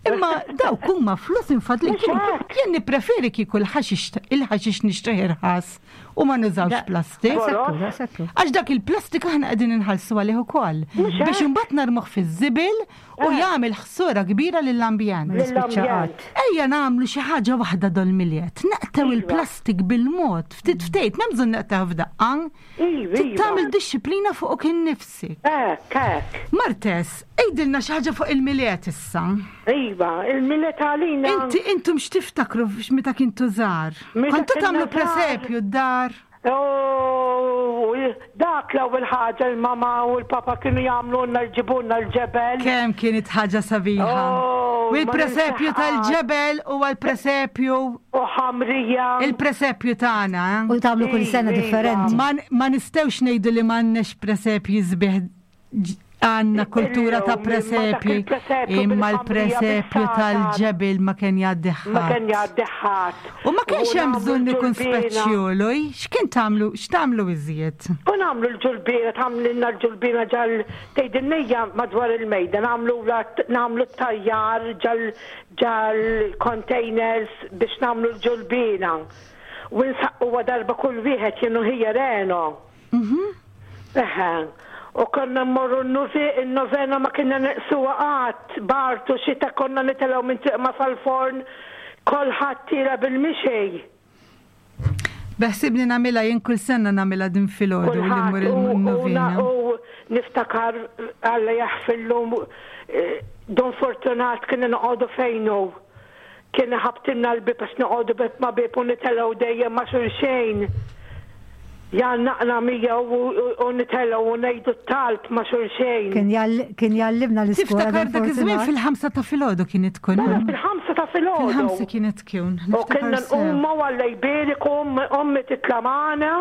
Imma dawk huma flus infadli jien nippreferi kieku l-ħaxix il-ħaxix nixtrih irħas u ma nużawx plastik. Għax dak il-plastik aħna qegħdin inħallsu għalih ukoll. Biex imbagħad narmuh fiż-żibel u jagħmel ħsura kbira lill-ambjent. Lill-ambjent. Ejja nagħmlu xi ħaġa waħda dol-Milied, naqtgħu iva. il-plastik bil-mod, ftit ftit, m'hemm bżonn naqtgħu f'daqqa. Iva, Trid tagħmel dixxiplina fuqok innifsek. Hekk, hekk. Martes, għidilna xi ħaġa fuq il-Milied issa. Iva, il-Milied għalina. Inti intom x'tiftakru meta kintu żgħar? Kontu tagħmlu presepju d-dar? U dak l-ewwel ħaġa l-mama u l-papa kienu jagħmlulna jġibulna l-ġebel. Kemm kienet ħaġa sabiħa. Oh, U l-presepju tal-ġebel huwa l-presepju. U ħamrija. Il-presepju tagħna. Eh? U tagħmlu kull sena differenti. Ma nistgħux ngħidu li m'għandniex presepji sbieħ għandna kultura ta' presepji, imma l-presepju tal-ġebel ma kien jgħaddi ħadd. Ma kien jgħaddi ħadd. U ma kienx hemm bżonn ikun speċjolu, x'kien tagħmlu, x'tagħmlu iżjed? U nagħmlu l-ġulbiena, tagħmlilna l-ġulbiena ġal tgħidilna madwar il-mejda, nagħmlu nagħmlu t-tajjar ġal ġal containers biex nagħmlu l-ġulbiena. U nsaqquha darba kull wieħed jien u ħija Reno. Mhm. Eħe. U konna mmorru n-novena ma kienna neqsuha qatt, bart u xita konna nitilgħu minn Triq Ma sal-forn, kolħadd tiela' bil-mixi. Beħsibni nagħmilha jien kull sena nagħmilha din filgħodu li mmur il-novena. U niftakar Alla jaħfirlu eh, Don Fortunat kien noqogħdu fejnu. Kien iħabbtilna l-bieb għax noqogħdu bieb ma' bieb u nitelgħu dejjem ma' xulxejn. Jgħannaqna miegħu u nitelgħu u ngħidu t-talb ma' xulxejn. Kien jgħallimna l-iskola. Tiftakar dak iż-żmien fil-ħamsa ta' filgħodu kienet tkun. Mela fil-ħamsa ta' filgħodu. Fil-ħamsa kienet tkun. U kienna nqumu Alla jbierek u ommi titla' magħna.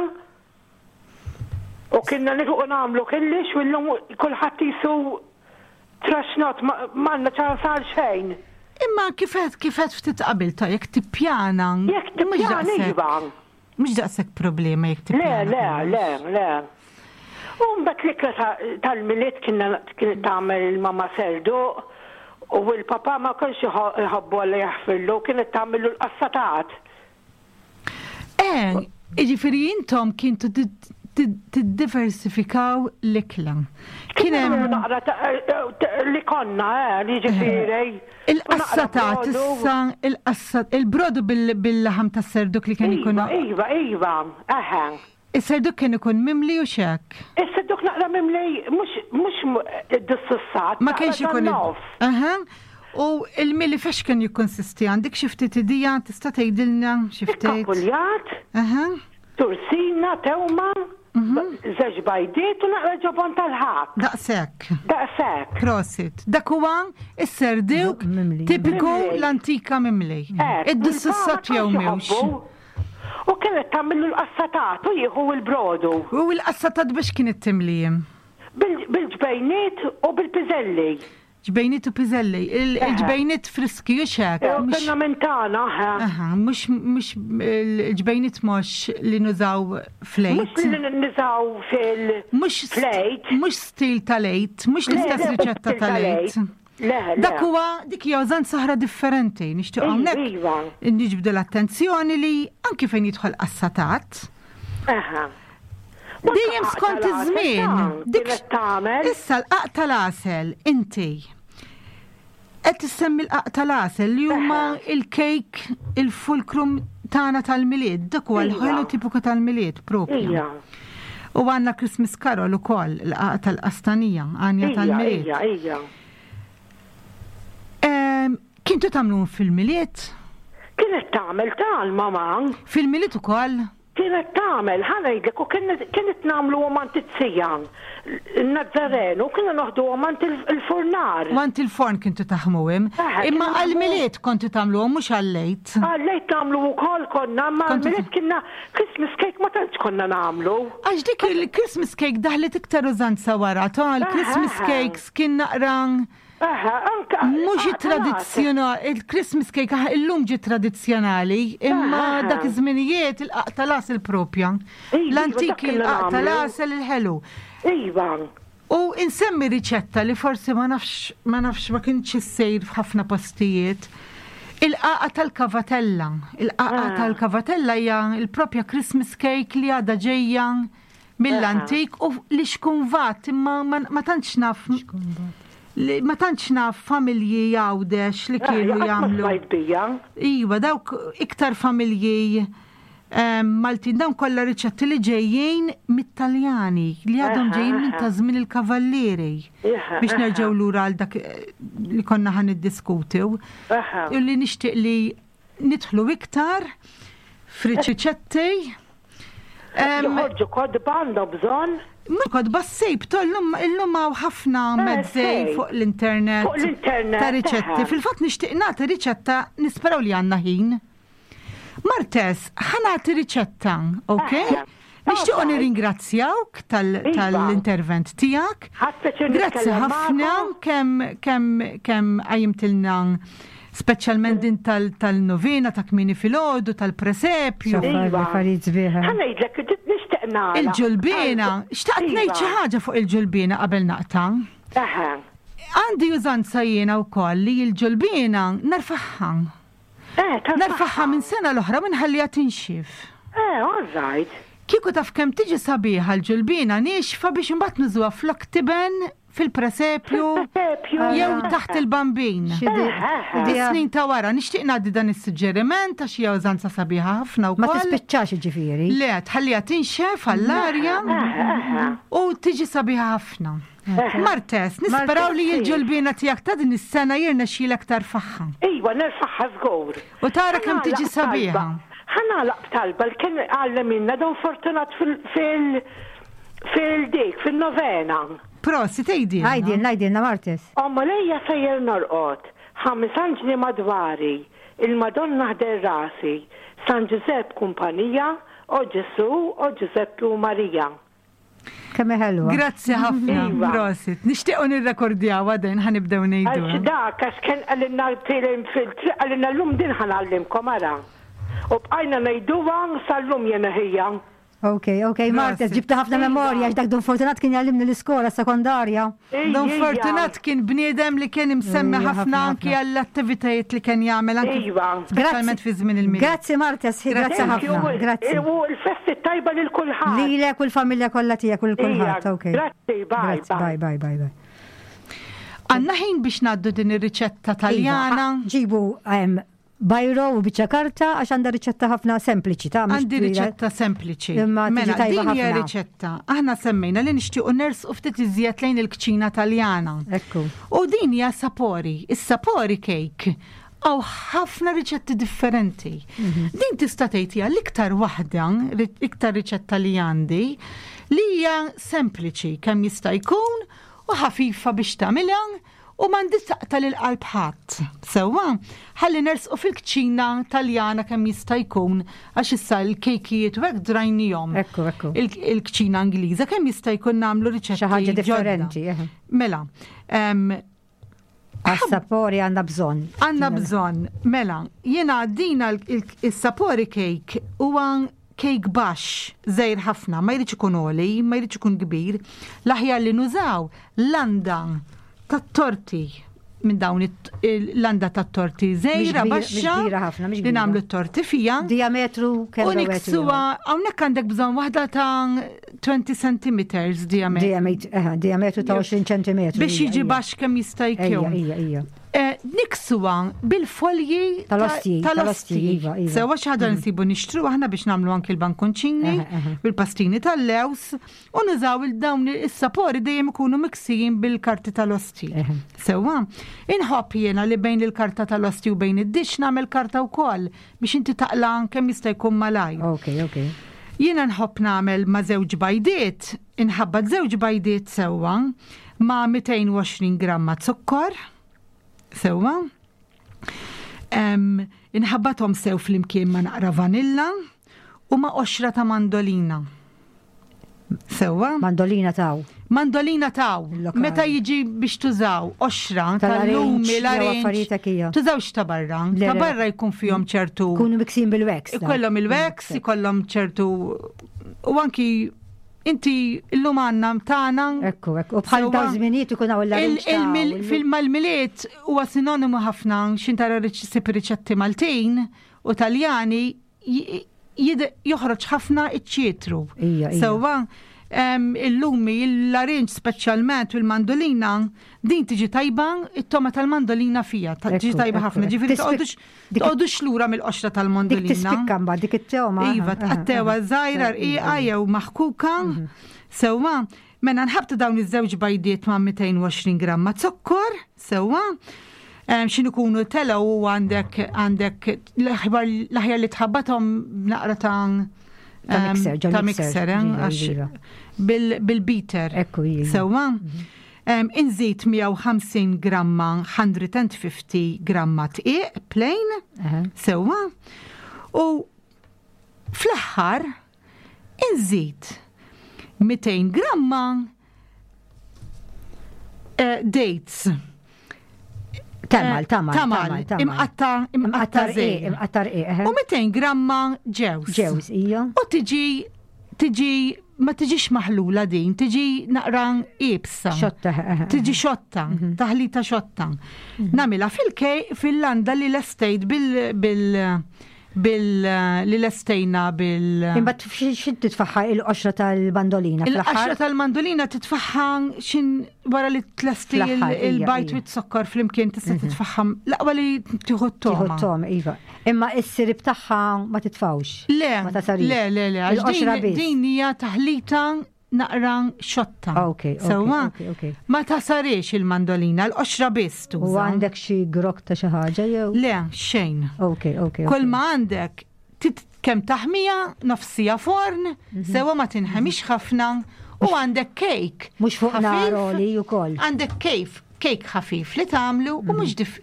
U kienna nilħqu nagħmlu killix u llum kulħadd qisu traxnot m'għandna ċans għal xejn. Imma kif għedt kif għedt ftit qabel ta' jekk tippjana. Jekk tippjana iva. Mhux daqshekk problema jekk tippjana. Le, le, le, le. U mbagħad l-ikla tal-Milied kienet tagħmel il-mama serduq u l-papa ma kienx iħobbu Alla jaħfirlu, kienet tagħmillu l-qassatat. Eh, jiġifieri intom kintu tiddiversifikaw l-ikla. Kien hemm naqra li konna, eh, jiġifieri. Il-qassatat issa, il-qassat, il-brodu bil-laħam tas-serduk li kien ikun. Iva, iva, eħe. Is-serduk kien ikun mimli u x'hekk? Is-serduk naqra mimli mhux mhux id-dissussat. Ma kienx ikun. Aha. U il-mili fex kien jikkonsisti għandek xi ftit idea tista' tgħidilna xi ftit? Kapuljat. Aha. Tursina, tewma, mhm. żewġ bajdiet u naqra ġobon tal-ħak. Daqshekk. Daqshekk. Prosit. Dak huwa is-serduk tipiku l-antika mimli. Id-dissussat jew mhux. U kienet tagħmillu l-qassatat u jieħu l-brodu. U l-qassatat biex kienet timli? Bil-ġbejniet u bil-piżelli. Ġbejniet u piżelli. Il-ġbejniet friski u xek. Konna minn tagħna, Aha, mhux mhux il-ġbejniet mhux li nużaw flejt. Mhux li nużaw fil Mhux flejt. Mhux stil tal-għid, mhux l-istess riċetta tal-għid. Dak huwa dik hija użanza oħra differenti. Nixtieq hawnhekk iva. niġbdu l-attenzjoni li anki fejn jidħol qassatat. Dejjem skont iż-żmien. Dik issa l-qaq tal-għasel inti. Qed issemmi l-qaq tal-għasel li huma il-kejk il-fulkrum tagħna tal-Milied, dak huwa l-ħelu Iva. tipiku tal-Milied propju. Ija. U għandna Christmas Carol ukoll, l-qaq tal-qastanija, għanja tal-Milied. Ija, ija. Kintu tagħmluhom fil-Milied? Kienet tagħmel tal-mama. Fil-Milied ukoll? Kienet tagħmel, ħa ngħidlek, u kienet nagħmluhom għand it-tija, in-Nazzarenu, u kienu noħduhom għand il-furnar. U għand il-forn kintu taħmuhom. Imma għall-Milied kontu tagħmluhom mhux għall-Għid. Għall-Għid nagħmlu wkoll konna, imma għall-Milied kienna Christmas cake ma tantx konna nagħmlu. Għax dik il-Christmas cake daħlet iktar użanza wara, ta' l-Christmas cakes kien naqra Mhux it-tradizzjonali, il-Christmas cake ah, illum ġie tradizzjonali, imma dak iż-żminijiet il-qaq tal-għasel propja. Iva, L-antiki il-qaq tal-għasel il-ħelu. Iva. U insemmi riċetta li forsi ma nafx ma nafx ma kienx issejr f'ħafna postijiet. Il-qaqa tal-kavatella. Il-qaqa Ah. tal-kavatella hija l-propja Christmas cake li għadha ġejja mill-antik u li xkunvat imma ma tantx naf ma tantx naf familji jgħawdex li kienu jagħmlu. Iva, dawk iktar familji Maltin dawn kollha riċetti li ġejjin mit-Taljani li għadhom ġejjin minn ta' żmien il-Kavallieri biex nerġgħu lura għal dak eh, li konna ħan niddiskutu. U li nixtieq li nidħlu iktar f'riċetti. Joħorġu kodba għandhom bżonn. Mhux kodba ssib, illum illum hawn ħafna eh, mezzi fuq l-internet. Fuq l-internet. Ta' riċetti. Fil-fatt nixtieq nagħti riċetta nisperaw li għandna ħin. Martes, ħa nagħti riċetta, ok? Nixtiequ nirringrazzjawk Iva. tal-intervent tiegħek. Grazzi ħafna kemm kemm kemm qajjimtilna speċjalment din tal-novena ta' kmieni filgħodu tal-presepju. Iva. Ħa ngħidlek, nixtieq nagħlaq. Il-ġulbiena, xtaqt ngħid xi Iva. ħaġa fuq il-ġulbiena qabel naqta'. Għandi użanza jiena wkoll li l-ġulbiena nerfagħha. Eh, Nerfagħha minn sena l-oħra u nħalliha tinxif. Eh, all right. Kieku taf kemm tiġi sabiħa l-ġulbiena niexfa biex imbagħad nużuha flok tiben fil-presepju jew taħt il-bambin. Is-snin ta' wara nixtieq ngħaddi dan is-suġġeriment għax hija użanza sabiħa ħafna Ma wkoll. tispiċċax jiġifieri. Le, tħalliha tinxef għall-arja u tiġi sabiħa ħafna. Martes, nisperaw li l-ġulbiena tiegħek ta' din is-sena jirnexxielek tarfaħħa. Iva, nerfaħħa żgur. U tara kemm tiġi sabiħa. Ħa nagħlaq b'talba li kien għallimilna Don Fortunat fil fil fil-dik, fil-novena. Prosit, għidilna. Għidilna, għidilna Martes. O Mulejja sejjer norqod, ħames anġli madwari, il-Madonna ħdejn rasi, San Ġużepp kumpanija, o Ġesù, o Ġużeppi u Marija. Kemm hi ħelwa. Grazzi ħafna, Iva. prosit. Nixtiequ nirrekordjaw għadin ħanibdew ngħidu. Għax dak, għax kien qalilna tilem fil-triq, qalilna llum din ħangħallimkom ara. U bqajna ngħiduha sal-lum jiena ħija. Ok, ok, Martes, ġibta ħafna memorja, għax dak Don Fortunat kien jgħallimni l-iskola sekondarja. Don Fortunat kien bniedem li kien imsemmi Ejja, ħafna ħafna, anki għall-attivitajiet li kien jagħmel anki Iva. speċjalment fi żmien il-Milied. Grazzi Martes, grazzi ħafna. Grazzi. U l-festi tajba lil kulħadd. Lilek u l-familja kollha tiegħek u lil kulħadd, Ija, ok. Grazzi, bye, Grazzi, bye, bye, bye, bye. Għandna ħin biex ngħaddu din ir-riċetta Taljana. Iva, Ġibu em, bajro u biċċa karta għax għandha riċetta ħafna sempliċi ta' mhux Għandi twila. riċetta sempliċi. Imma tiġi Mela, tajba din hija ħafna. riċetta. Aħna semmejna li nixtiequ nersqu ftit iżjed lejn il-kċina Taljana. Ekku. U din hija sapori, is-sapori cake. Għaw ħafna riċetti differenti. Mhm. Din tista' tgħid hija l-iktar waħda, ri- iktar riċetta li għandi, li hija sempliċi kemm jista' jkun u ħafifa biex tagħmilha u m'għandix taqta' lil qalb ħadd. Sewwa, ħalli nersqu fil-kċina Taljana kemm jista' jkun għax issa l-kejkijiet u hekk drajnihom. Ekku, ekku. Il-kċina Ingliża kemm jista' jkun nagħmlu riċetti Xi ħaġa ġodda. differenti, eħe. Mela, em, Għas-sapori għandna bżonn. Għandna bżonn, mela, jiena dina il-sapori cake huwa cake baxx, żgħir ħafna, ma jridx ikun għoli, ma jridx ikun kbir. L-aħjar li nużaw landa tat-torti minn dawn il-landa tat-torti żgħira baxxa li nagħmlu t-torti fija. Diametru kemm U niksuha hawnhekk għandek bżonn waħda ta' 20 cm diametru. Diametru ta' 20 cm. Biex jiġi baxx kemm jista' jkun. Eh, niksuha bil-folji tal-osti. Tal-osti. Iva, iva. Sewa xi ħaġa mm. nsibu nixtru aħna biex nagħmlu anki l-bankonċini, bil-pastini tal-lews, u nużaw il-dawn is-sapori dejjem ikunu miksijin bil-karti tal-osti. Sewa, inħobb jiena li bejn il-karta tal-osti u bejn id-dix nagħmel karta wkoll biex inti taqla kemm jista' jkun malaj. Ok, ok. Jiena nħobb nagħmel ma' żewġ bajdiet, inħabbat żewġ bajdiet sewwa ma' 220 gramma zokkor, Sewwa. Inħabbathom sew flimkien ma' naqra vanilla u ma' qoxra ta' mandolina. Sewwa. Mandolina taw. Mandolina taw. Meta jiġi biex tużaw qoxra tal-lumi, l-arinġ. Tużawx ta' barra. Ta' barra jkun fihom ċertu. Kunu miksin bil-wax. Ikollhom il-wax, ikollhom ċertu u anki Inti illum għandna tagħna. Ekku, ekku. U bħal dawn żminijiet ikun hawn l Fil-mal-miliet huwa sinonimu ħafna x'in tara ssib riċetti Maltin u Taljani joħroġ ħafna iċ-ċitru. Sewwa, il-lumi, l-larinġ speċjalment u l-mandolina, din tiġi tajba, it-toma tal-mandolina fija, tiġi tajba ħafna. Ġifieri toqgħodux Toqgħodux lura mill-qoxra tal-mondolina. Dik tispikka mbagħad dik it-tewma. Iva, tqattewa żgħira rqiqa jew maħkuka. Mhm. Sewwa, mela nħabtu dawn iż-żewġ bajdiet ma' 220 gramma zokkor, sewwa. Xin ikunu telgħu u għandek għandek l-aħjar li tħabbathom naqra ta' ta' mixer, eh, bil-beater. Ekku, Sewwa. Mhm. Inżid 150 gramma 150 gramma tqiq plain, sewwa, u fl-aħħar inżid 200 gramma eh, dates. Tamal, eh, tamal, tamal, imqatta, imqatta imqatta rqiq. U 200 gramma ġews. Ġews, ija. U tiġi tiġi ma tiġix maħlula din, tiġi naqra ibsa. Xotta. Eh, eh, eh. Tiġi xotta, taħlita xotta. Namila fil-kej fil-landa li l-estate bil bil bil li lestejna bil. Imbagħad xi titfaħħa il-qoxra tal-mandolina Il-qoxra tal-mandolina titfaħħa xin wara li tlesti il-bajt with sokkor flimkien tista' mhm. titfaħħa l-aqwa li tieħu t-toma. Tieħu t-toma, iva. Imma is-sirib tagħha ma titfawx. Le, le, le, le, għax din hija taħlita naqra xotta. Ok, Sewwa, ma tasarix il-mandolina, l-qoxra biss tuża. U għandek xi grok ta' xi ħaġa jew? Le, xejn. Ok, ok. Kull ma għandek kemm taħmija, nofsija forn, mhm. sewwa ma tinħemix ħafna u għandek kejk. Mhux fuq nar oli wkoll. Għandek kejf, kejk ħafif li tagħmlu u mhux dif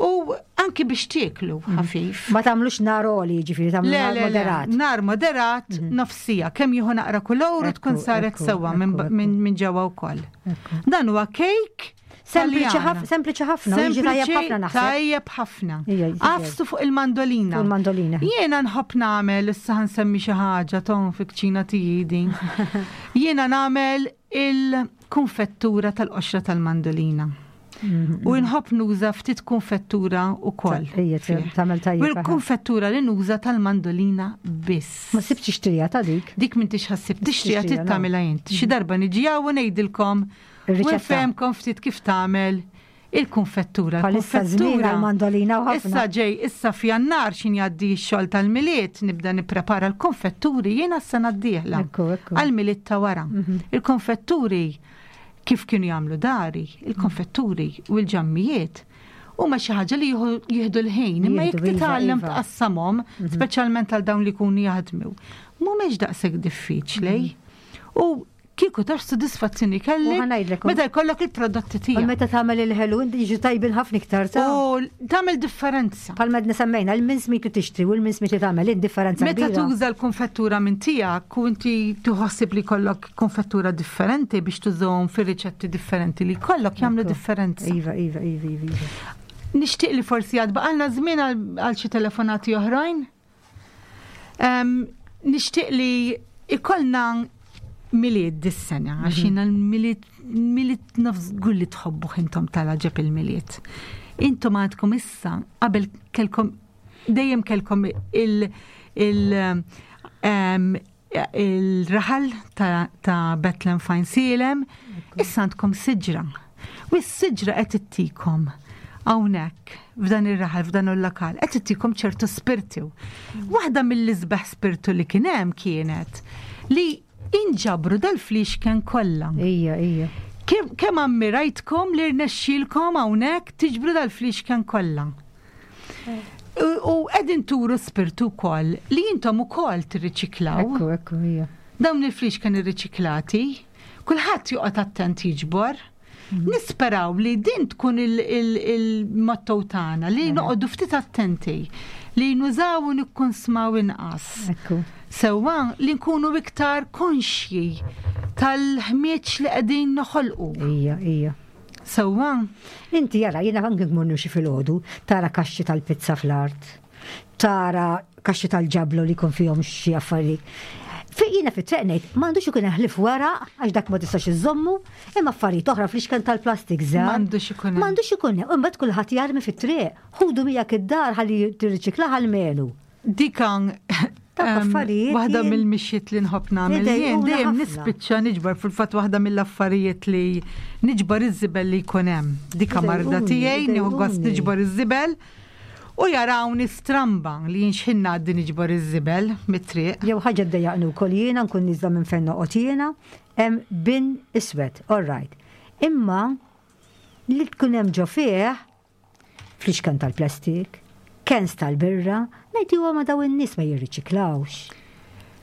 u anki biex tieklu mhm. ħafif. Ma tagħmlux nar oli, ġifieri tagħmlu nar moderat. Nar moderat mhm. nofsija, kemm jieħu naqra kulur tkun saret sewwa minn ġewwa wkoll. Dan huwa kejk Sempliċi ħafna, tajjeb ħafna naħseb. Tajjeb ħafna. Għafsu fuq il-mandolina. Fuq il-mandolina. Jiena nħobb nagħmel, issa nsemmi xi ħaġa ton fi kċina tiegħi din. Jiena nagħmel il-konfettura tal-qoxra tal-mandolina. Mhm. U nħobb nuża ftit konfettura u koll. U l-konfettura li nuża tal-mandolina biss. Ma sibx tixtrija ta' dik? Dik minn tixħassib tixtrija tittamela jint. Xi darba niġi u ngħidilkom u nfehmkom ftit kif tagħmel il-konfettura. Bħalissa żmien għall-mandolina u ħafna. Issa ġej, issa f'Jannar x'in jgħaddi x-xogħol tal-Milied nibda nipprepara l-konfetturi jiena s-sena d-dieħla. Għall-Milied ta' wara. Mhm. Il-konfetturi kif kienu jagħmlu dari, il-konfetturi u l-ġammijiet huma xi ħaġa li jieħdu l-ħin, imma jekk iva, titgħallem iva. tqassamhom, mhm. speċjalment għal dawn li jkunu jaħdmu, mhumiex daqshekk diffiċli. Mhm. U. Kieku taf sodisfazzjoni kellek meta jkollok il-prodotti tiegħek. U meta tagħmel il-ħelu inti jiġu tajbin ħafna iktar ta' U tagħmel differenza. Bħal medna semmejna l-minsmit li tixtri u l-minsmit li tagħmel id-differenza. Meta tuża l-konfettura minn tiegħek u inti tħossib li kollok konfettura differenti biex tużhom fir-riċetti differenti li kollok jagħmlu differenza. Iva, iva, iva, iva. iva. Nixtieq li forsi għad baqalna żmien għal xi telefonati oħrajn. Nixtieq li ikollna milied dis-sena, għax mhm. jiena l-milied milied naf żgur li tħobbu intom tal-ġeb il-milied. Intom għandkom issa qabel kelkom dejjem kelkom il, il il-raħal ta', ta Bethlehem Fine Silem, issa għandkom siġra. U s-siġra qed ittikom hawnhekk f'dan ir-raħal, f'dan il-lokal, qed ittikom ċertu spirtu. Waħda mill-isbaħ spirtu li kien hemm kienet li inġabru dal-flixken kollha. Ija, ija. Kemm ammirajtkom li rnexxielkom hawnhekk tiġbru dal-flixken kollha. U qegħdin turu spirtu wkoll li intom ukoll tirriċiklaw. Ekku, ekku, ija. Dawn il-flixken irriċiklati, kulħadd joqgħod attent jiġbor. Mhm. Nisperaw li din tkun il-motto tagħna li noqogħdu ftit attenti li nużaw u nikkunsmaw inqas. Ekku. Sewwa li nkunu iktar konxji tal-ħmieġ li qegħdin noħolqu. Ija, ija. Sewwa? Inti jara, jiena anke mmur nimxi filgħodu, tara kaxxi tal-pizza fl-art, tara kaxxi tal-ġablo li jkun fihom xi affarijiet. Fi jiena fit-triq ngħid, m'għandux ikun hemm ħlief weraq għax dak ma tistax iżżommu, imma affarijiet oħra fl-ixken tal-plastik żgħar. M'għandux ikun hemm. M'għandux ikun hemm. U mbagħad kulħadd jarmi fit-triq. Ħudu miegħek id-dar ħalli tirriċiklaha almenu. Dik waħda mill-mixjiet li nħobb nagħmel jien dejjem nispiċċa niġbar fil-fatt waħda mill-affarijiet li niġbar iż-żibel li jkun hemm. Dika marda tiegħi nieħu gost niġbar iż-żibel u jarawni stramba li jien x'ħin ngħaddi niġbar iż-żibel mit-triq. Jew ħaġa ddejjaqni wkoll jiena nkun nieżla minn fejn noqgħod jiena, hemm bin iswed, all right. Imma li tkun hemm ġo fih Flixken tal-plastik, cans tal-birra, ngħid huwa ma daw in-nies ma jirriċiklawx.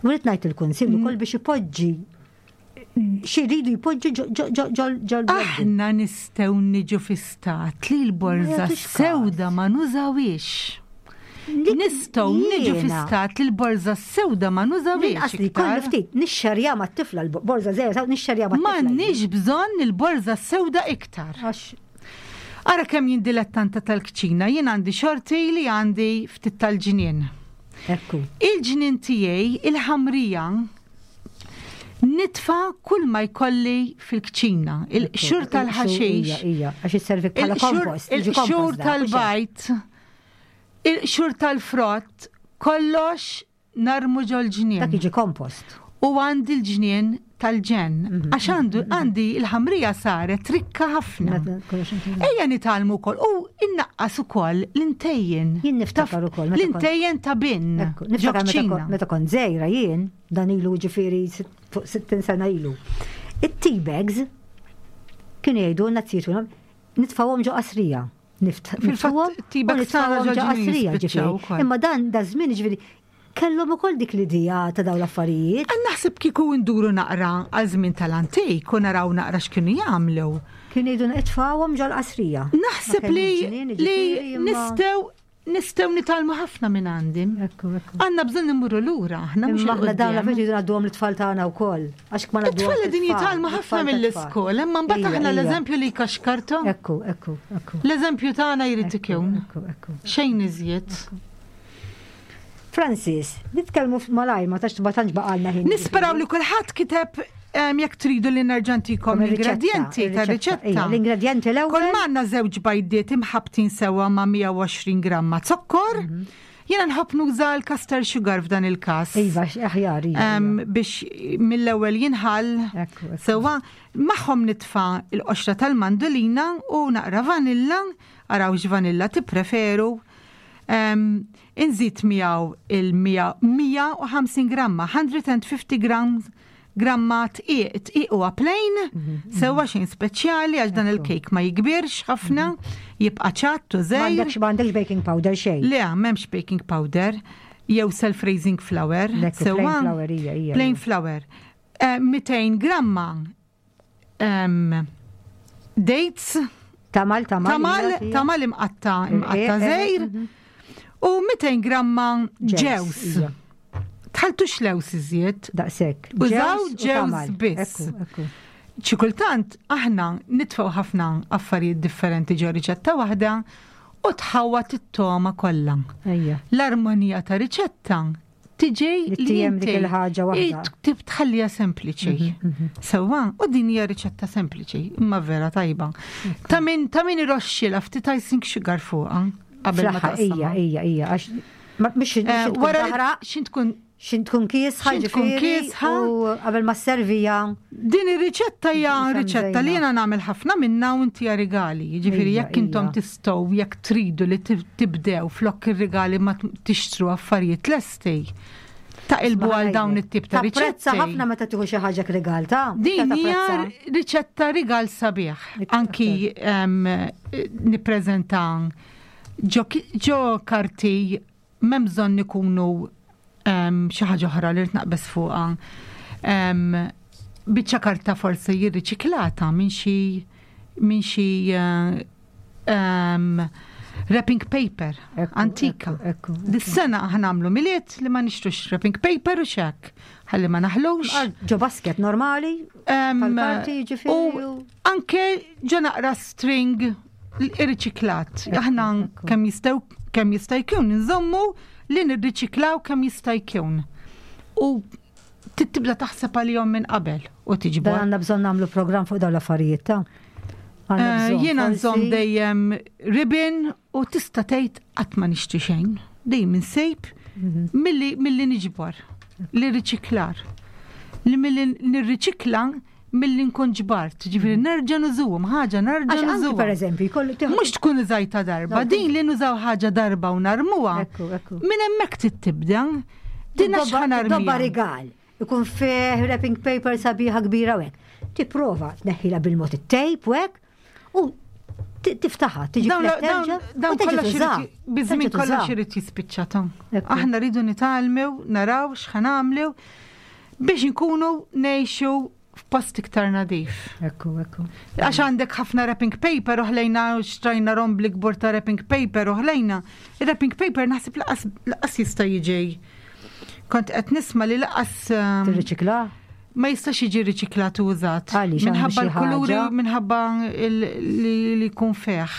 U rrid ngħid il-Kunsill ukoll biex ipoġġi xi jridu jpoġġu ġol Aħna nistgħu niġu fi stat li l-borża sewda ma nużawiex. Nistgħu niġu fi stat li l-borża sewda ma nużawiex. Li kollu ftit nixxerja mat-tifla l-borża żgħira nixxerja mat-tifla. M'għandniex bżonn il-borża sewda iktar. Ara kemm jien dilettanta tal-kċina, jien għandi xorti li għandi ftit tal-ġnien. Ekku. Il-ġnien tiegħi, il-ħamrija, nitfa kull ma jkolli fil-kċina. Il-qxur tal-ħaxix. Ija, għax isservi bħala kompost. Il-qxur tal-bajt, il-qxur tal-frott, kollox narmu ġol-ġnien. Dak jiġi kompost. U għandi l-ġnien tal-ġenn. Mhm. Għax għandu mhm. għandi l-ħamrija saret rikka ħafna. Ejja nitgħallmu wkoll u innaqqas ukoll l-intejjen. Jien niftakar ukoll. L-intejjen ta' bin. Niftakar meta kont żgħira jien, dan ilu ġifieri fuq 60 sena ilu. It-tea bags kienu jgħidu nazzjitu nitfawhom ġo qasrija. Fil-fatt tibek tagħna ġo qasrija ġifieri. Imma dan da żmien ġifieri kellhom ukoll dik l-idea ta' dawn l-affarijiet. Naħseb kieku nduru naqra għal żmien tal-antik u naraw naqra x'kienu jagħmlu. Kienu jgħidu nitfgħuhom ġol-qasrija. Naħseb li li nistgħu Nistgħu nitgħallmu ħafna minn għandi. Għandna bżonn immurru lura, aħna mhux Aħna dawn l-affarijiet jridu ngħadduhom lit-tfal tagħna wkoll. Għax ma ngħadduhom. It-tfal qegħdin jitgħallmu ħafna mill-iskola, imma mbagħad aħna l-eżempju li jkaxkartu. Ekku, ekku, ekku. L-eżempju tagħna jrid ikun. Xejn iżjed. Francis, nitkellmu malajr ma tax ma tantx baqalna ħin. Nisperaw li kulħadd kiteb jekk tridu li nerġa' ntikom l-ingredjenti tar-riċetta. L-ingredjenti l-ewwel. Kull m'għandna żewġ bajdiet imħabbtin sewwa ma' 120 gramma zokkor. Mhm. Jiena nħobb nuża l-caster sugar f'dan il-każ. Iva, aħjar. Iva, iva. Biex mill-ewwel jinħall. Sewwa, magħhom nitfa' l-qoxra tal-mandolina u naqra vanilla, araw x'vanilla tippreferu. Inżid miegħu il-150 gramma, 150 grams gramma tqiq, tqiq huwa plain, mhm, mhm. sewwa xejn speċjali għax dan il-kejk ma jikbirx ħafna, mhm. jibqa' ċatt u żejr. M'għandekx baking powder xejn. Le, m'hemmx baking powder jew self-raising flour. Sewwa. Plain flour. 200 gramma dates. Tamal, tamal. Tamal, tamal imqatta, imqatta żejr. U 200 gramma ġews. Tħaltux lews iżjed. Daqshekk. Użaw ġews biss. Xi kultant aħna nitfgħu ħafna affarijiet differenti ġo riċetta waħda u tħawwad it-togħma kollha. L-armonija ta' riċetta tiġi li dik il-ħaġa waħda. Tib tħallija sempliċi. Mhm, mhm. Sewwa, u din hija riċetta sempliċi, imma vera tajba. Ta' min ta' min iroxxilha ftit icing sugar fuqha qabel ma taqsam. Ija, ija, ija, għax mhix eh, wara xin tkun xin tkun kiesħa, tkun kiesħa u qabel ma servija. Din ir-riċetta hija riċetta li jiena nagħmel ħafna minna u inti rigali. Jiġifieri jekk intom tistgħu jekk tridu li tibdew flok ir-rigali ma tixtru affarijiet lesti. Taqilbu għal dawn it-tip ta' riċetti. Tapprezza ħafna meta tieħu xi ħaġa rigal ta' Din hija riċetta rigal sabiħ. Anki nippreżenta ġo karti m'hemm bżonn ikunu xi ħaġa oħra li rrid naqbeż fuqha. Biċċa karta forsi jirriċiklata minn xi minn xi wrapping paper antika. Dis-sena aħna nagħmlu miliet li ma nixtrux wrapping paper u xek. Ħalli ma naħlux. Ġo basket normali, tal-karti ġifieri. U anke ġo naqra string irriċiklat. Aħna kemm jistgħu kemm jista' jkun nżommu li nirriċiklaw kemm jista' jkun. U tibda taħseb għalihom minn qabel u tiġbor. Dan għandna bżonn nagħmlu programm fuq dawn l-affarijiet ta' eh, Jiena nżomm dejjem ribbon u tista' tgħid qatt ma nixtri xejn. Dejjem insejb mhm. milli milli niġbor, li riċiklar. Li milli nirriċikla milli nkun ġbart, ġifieri nerġa' nużuhom, ħaġa nerġa' nużuhom. Per eżempju, jkollu Mhux tkun użajta darba, din li nużaw ħaġa darba u narmuha. Minn hemmhekk trid tibda. Din għax ħa Dobba rigal, ikun fih wrapping paper sabiħa kbira u hekk. Tipprova tneħħilha bil-mod it-tape u hekk u tiftaħa, tiġi Dawn kollox biżmin kollox irid jispiċċa ta' Aħna rridu nitgħallmu, naraw x'ħanamlu biex inkunu ngħixu f'post iktar nadif. Ekku, ekku. Għax għandek ħafna wrapping paper u ħlejna xtrajna rombli kbur ta' wrapping paper u ħlejna. Wrapping paper naħseb laqas jista' jiġi. Kont qed nisma' li laqas. Ehm, Tirriċikla? Ma jistax jiġi riċiklat u użat. Minħabba l-kuluri, minħabba li jkun feħ.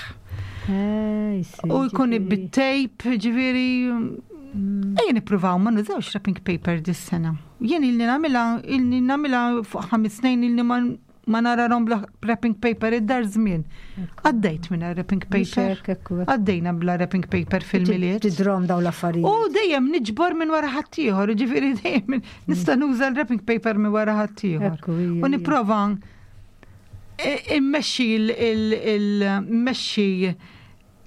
Eh, u jkun bit-tape, ġifieri. Mm. Ejja nippruvaw ma nużawx wrapping paper dis-sena. Jien ilni nagħmilha, ilni nagħmilha fuq ħames snin ilni ma ma narahom bla wrapping paper id-dar żmien. Għaddejt minn wrapping paper. Għaddejna bla wrapping paper fil-miliet. Tidrom daw l-affarijiet. U dejjem niġbor minn wara ħaddieħor, ġifieri dejjem nista' nuża l-wrapping paper minn wara ħaddieħor. U nipprova immexxi il-mmexxi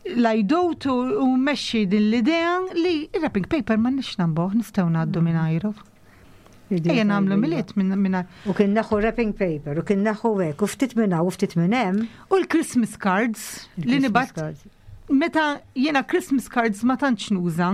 l-ajdut u mmexxi din l-idea li wrapping paper ma nix nambuh, nistgħu ngħaddu minn ajru. Ejja nagħmlu miliet minn U kien naħu wrapping paper, u kien naħu hekk, u ftit minn hawn u ftit minn hemm. U l-Christmas cards li nibgħat meta jiena Christmas cards ma tantx nuża,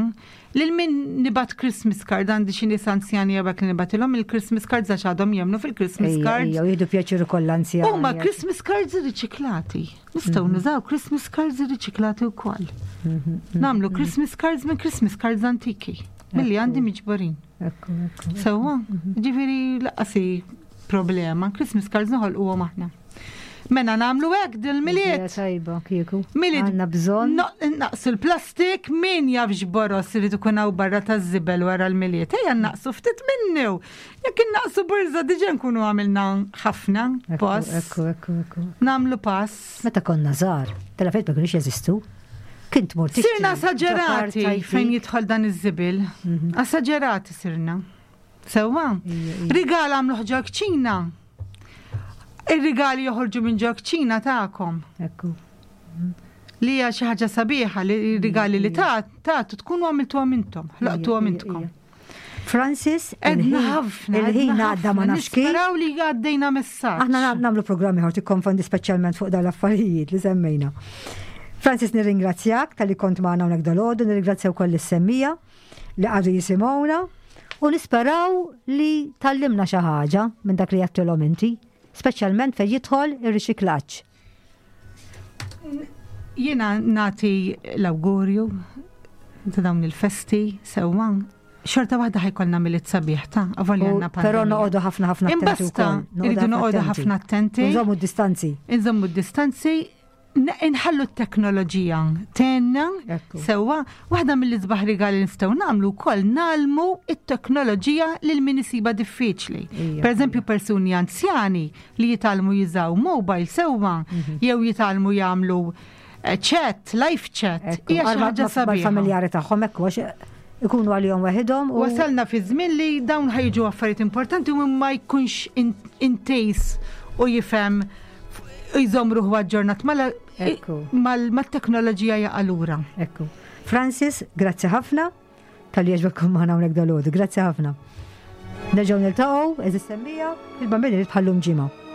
lil min nibgħat Christmas card għandi xi nies anzjani jew hekk li nibgħatilhom il-Christmas cards għax għadhom jemmnu fil-Christmas cards. Ejja, jieħdu pjaċir ukoll anzjani. Huma Christmas cards riċiklati. Nistgħu mhm. nużaw Christmas cards riċiklati wkoll. Mhm, mhm, Nagħmlu Christmas cards minn Christmas cards antiki milli għandi miġburin. Sewwa, ġifieri laqasi problema, Christmas cards noħolquhom aħna. Mena nagħmlu hekk dil-miliet. Tajba, kieku. Miliet. Għandna bżonn. Naqsu l-plastik, min jaf x'boros irid ikun hawn barra taż-żibel wara l-miliet. Ejja naqsu ftit minnu. Jekk innaqsu borża diġà nkunu għamilna ħafna pass. Ekku, ekku, ekku. Nagħmlu pass. Meta konna żgħar, tal-affarijiet ma kinux jeżistu. Kint mur Sirna esaġerati fejn jidħol dan iż-żibil. Mhm. Esaġerati sirna. Sewwa. Rigal għamlu ġo kċina. Ir-rigali joħorġu minn ġo kċina tagħkom. Ekku. Li hija xi ħaġa sabiħa li rigali li tagħtu tkunu għamiltuhom intom, ħloqtuhom intkom. Francis, Edna ħafna. Il-ħin għadda ma nafx kif. Nisperaw li għaddejna messaġġ. Aħna nagħmlu programmi ħor tikkonfondi speċjalment fuq dawn l-affarijiet li semmejna. Francis, nirringrazzjak tal-li kont magħna hawnhekk dalgħodu, nirringrazzja wkoll is-semmija li għadu jisimgħuna. U nisperaw li tgħallimna xi ħaġa minn dak li għedtilhom inti, speċjalment fejn jidħol ir-riċiklaġġ. Jiena nagħti l-awgurju ta' dawn il-festi sewwa. Xorta waħda ħajkollna Milied sabiħ ta' avolja għandna pandemija. Però noqogħdu ħafna ħafna attenti Imbasta, wkoll. irridu noqogħdu ħafna attenti. Nżommu d-distanzi. Inżommu d-distanzi, Inħallu t-teknoloġija tgħinna sewwa, waħda mill-isbaħ rigali li nistgħu nagħmlu wkoll nagħlmu t-teknoloġija lil min isibha diffiċli. Pereżempju persuni anzjani li jitgħallmu jużaw mobile sewwa mhm. jew jitgħallmu jagħmlu eh, chat, live chat, hija xi ħaġa sabiħa. Familjari tagħhom hekk ikunu għalihom waħidhom. Wasalna fi żmien li dawn ħajġu affarijiet importanti u ma jkunx intejs u jifhem jżomm ruħu aġġornat mal-teknoloġija jaqa' lura. Ekku. Francis, grazzi ħafna tal-li għaġbek maħna hawnhekk dal Grazzi ħafna. Nerġgħu niltaqgħu, eżis semmija, il-bambini li tħallum ġimgħa.